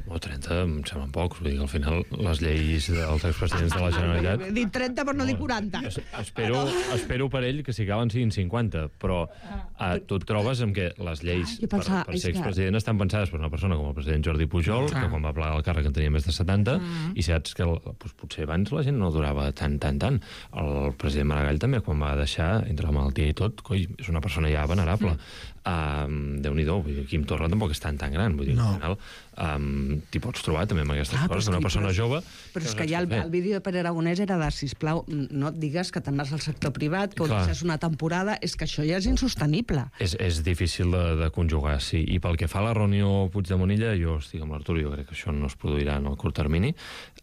O trenta, em semblen pocs. Vull dir que al final les lleis dels expresidents de la Generalitat... He dit trenta, però no dic quaranta. Es, espero, espero per ell que si acaben siguin cinquanta, però eh, tu et trobes amb que les lleis ah, pensava, per, per ser expresident estan pensades per una persona com el president Jordi Pujol, ah. que quan va plegar el càrrec en tenia més de setanta, mm. i saps que el, doncs, potser abans la gent no durava tant, tant, tant. El president Maragall també, quan va deixar, entre la malaltia i tot, coi, és una persona ja venerable. Mm. Um, Déu-n'hi-do, Quim Torra tampoc és tan tan gran, vull dir, no. Al final um, t'hi pots trobar també amb aquestes ah, coses, una persona però, jove... Però és que ja el, el vídeo de Pere Aragonès era de, sisplau, no et digues que te'n vas al sector privat, que ho deixes una temporada, és que això ja és insostenible. És, és difícil de, de conjugar, sí. I pel que fa a la reunió Puigdemont-Illa, jo estic amb l'Artur, jo crec que això no es produirà en el curt termini,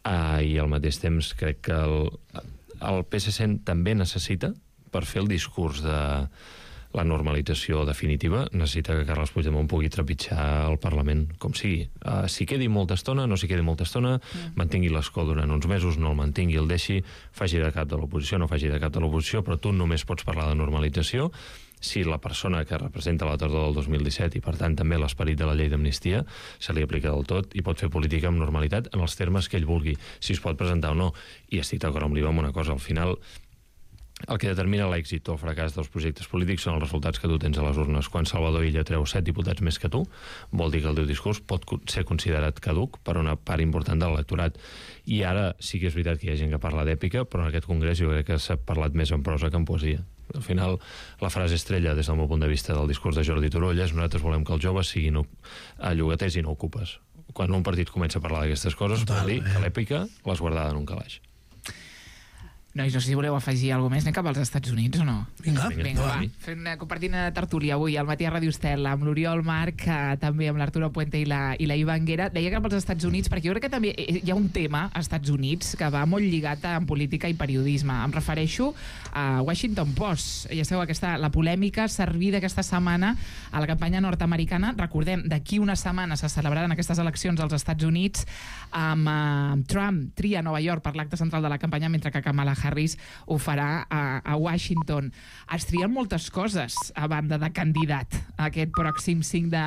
uh, i al mateix temps crec que el, el P S C també necessita, per fer el discurs de la normalització definitiva necessita que Carles Puigdemont pugui trepitjar el Parlament, com sigui. Uh, si quedi molta estona, no si quedi molta estona, mm. mantingui l'escó durant uns mesos, no el mantingui, el deixi, faci de cap de l'oposició, no faci de cap de l'oposició, però tu només pots parlar de normalització si la persona que representa la tardor del dos mil disset i, per tant, també l'esperit de la llei d'amnistia se li aplica del tot i pot fer política amb normalitat en els termes que ell vulgui, si es pot presentar o no. I estic d'acord amb l'Iva amb una cosa, al final el que determina l'èxit o el fracàs dels projectes polítics són els resultats que tu tens a les urnes. Quan Salvador Illa treu set diputats més que tu, vol dir que el teu discurs pot ser considerat caduc per una part important de l'electorat. I ara sí que és veritat que hi ha gent que parla d'èpica, però en aquest congrés jo crec que s'ha parlat més en prosa que en poesia. Al final, la frase estrella, des del meu punt de vista del discurs de Jordi Turull, és: nosaltres volem que els joves siguin llogaters i no ocupes. Quan un partit comença a parlar d'aquestes coses, vol dir que l'èpica l'has guardada en un calaix. Nois, no sé si voleu afegir alguna més. Anem cap als Estats Units o no? Vinga, Vinga, Vinga va. Fent una, compartint una tertúlia avui al matí a Ràdio Estel amb l'Oriol Marc, eh, també amb l'Arturo Puente i la, i la Iva Anguera. Deia cap als Estats Units, perquè jo crec que també hi ha un tema als Estats Units que va molt lligat en política i periodisme. Em refereixo a Washington Post. Ja sabeu, aquesta, la polèmica servida aquesta setmana a la campanya nord-americana. Recordem, d'aquí una setmana se celebraran aquestes eleccions als Estats Units amb eh, Trump tria Nova York per l'acte central de la campanya, mentre que Kamala Harris ho farà a, a Washington. Es trien moltes coses a banda de candidat aquest pròxim cinc de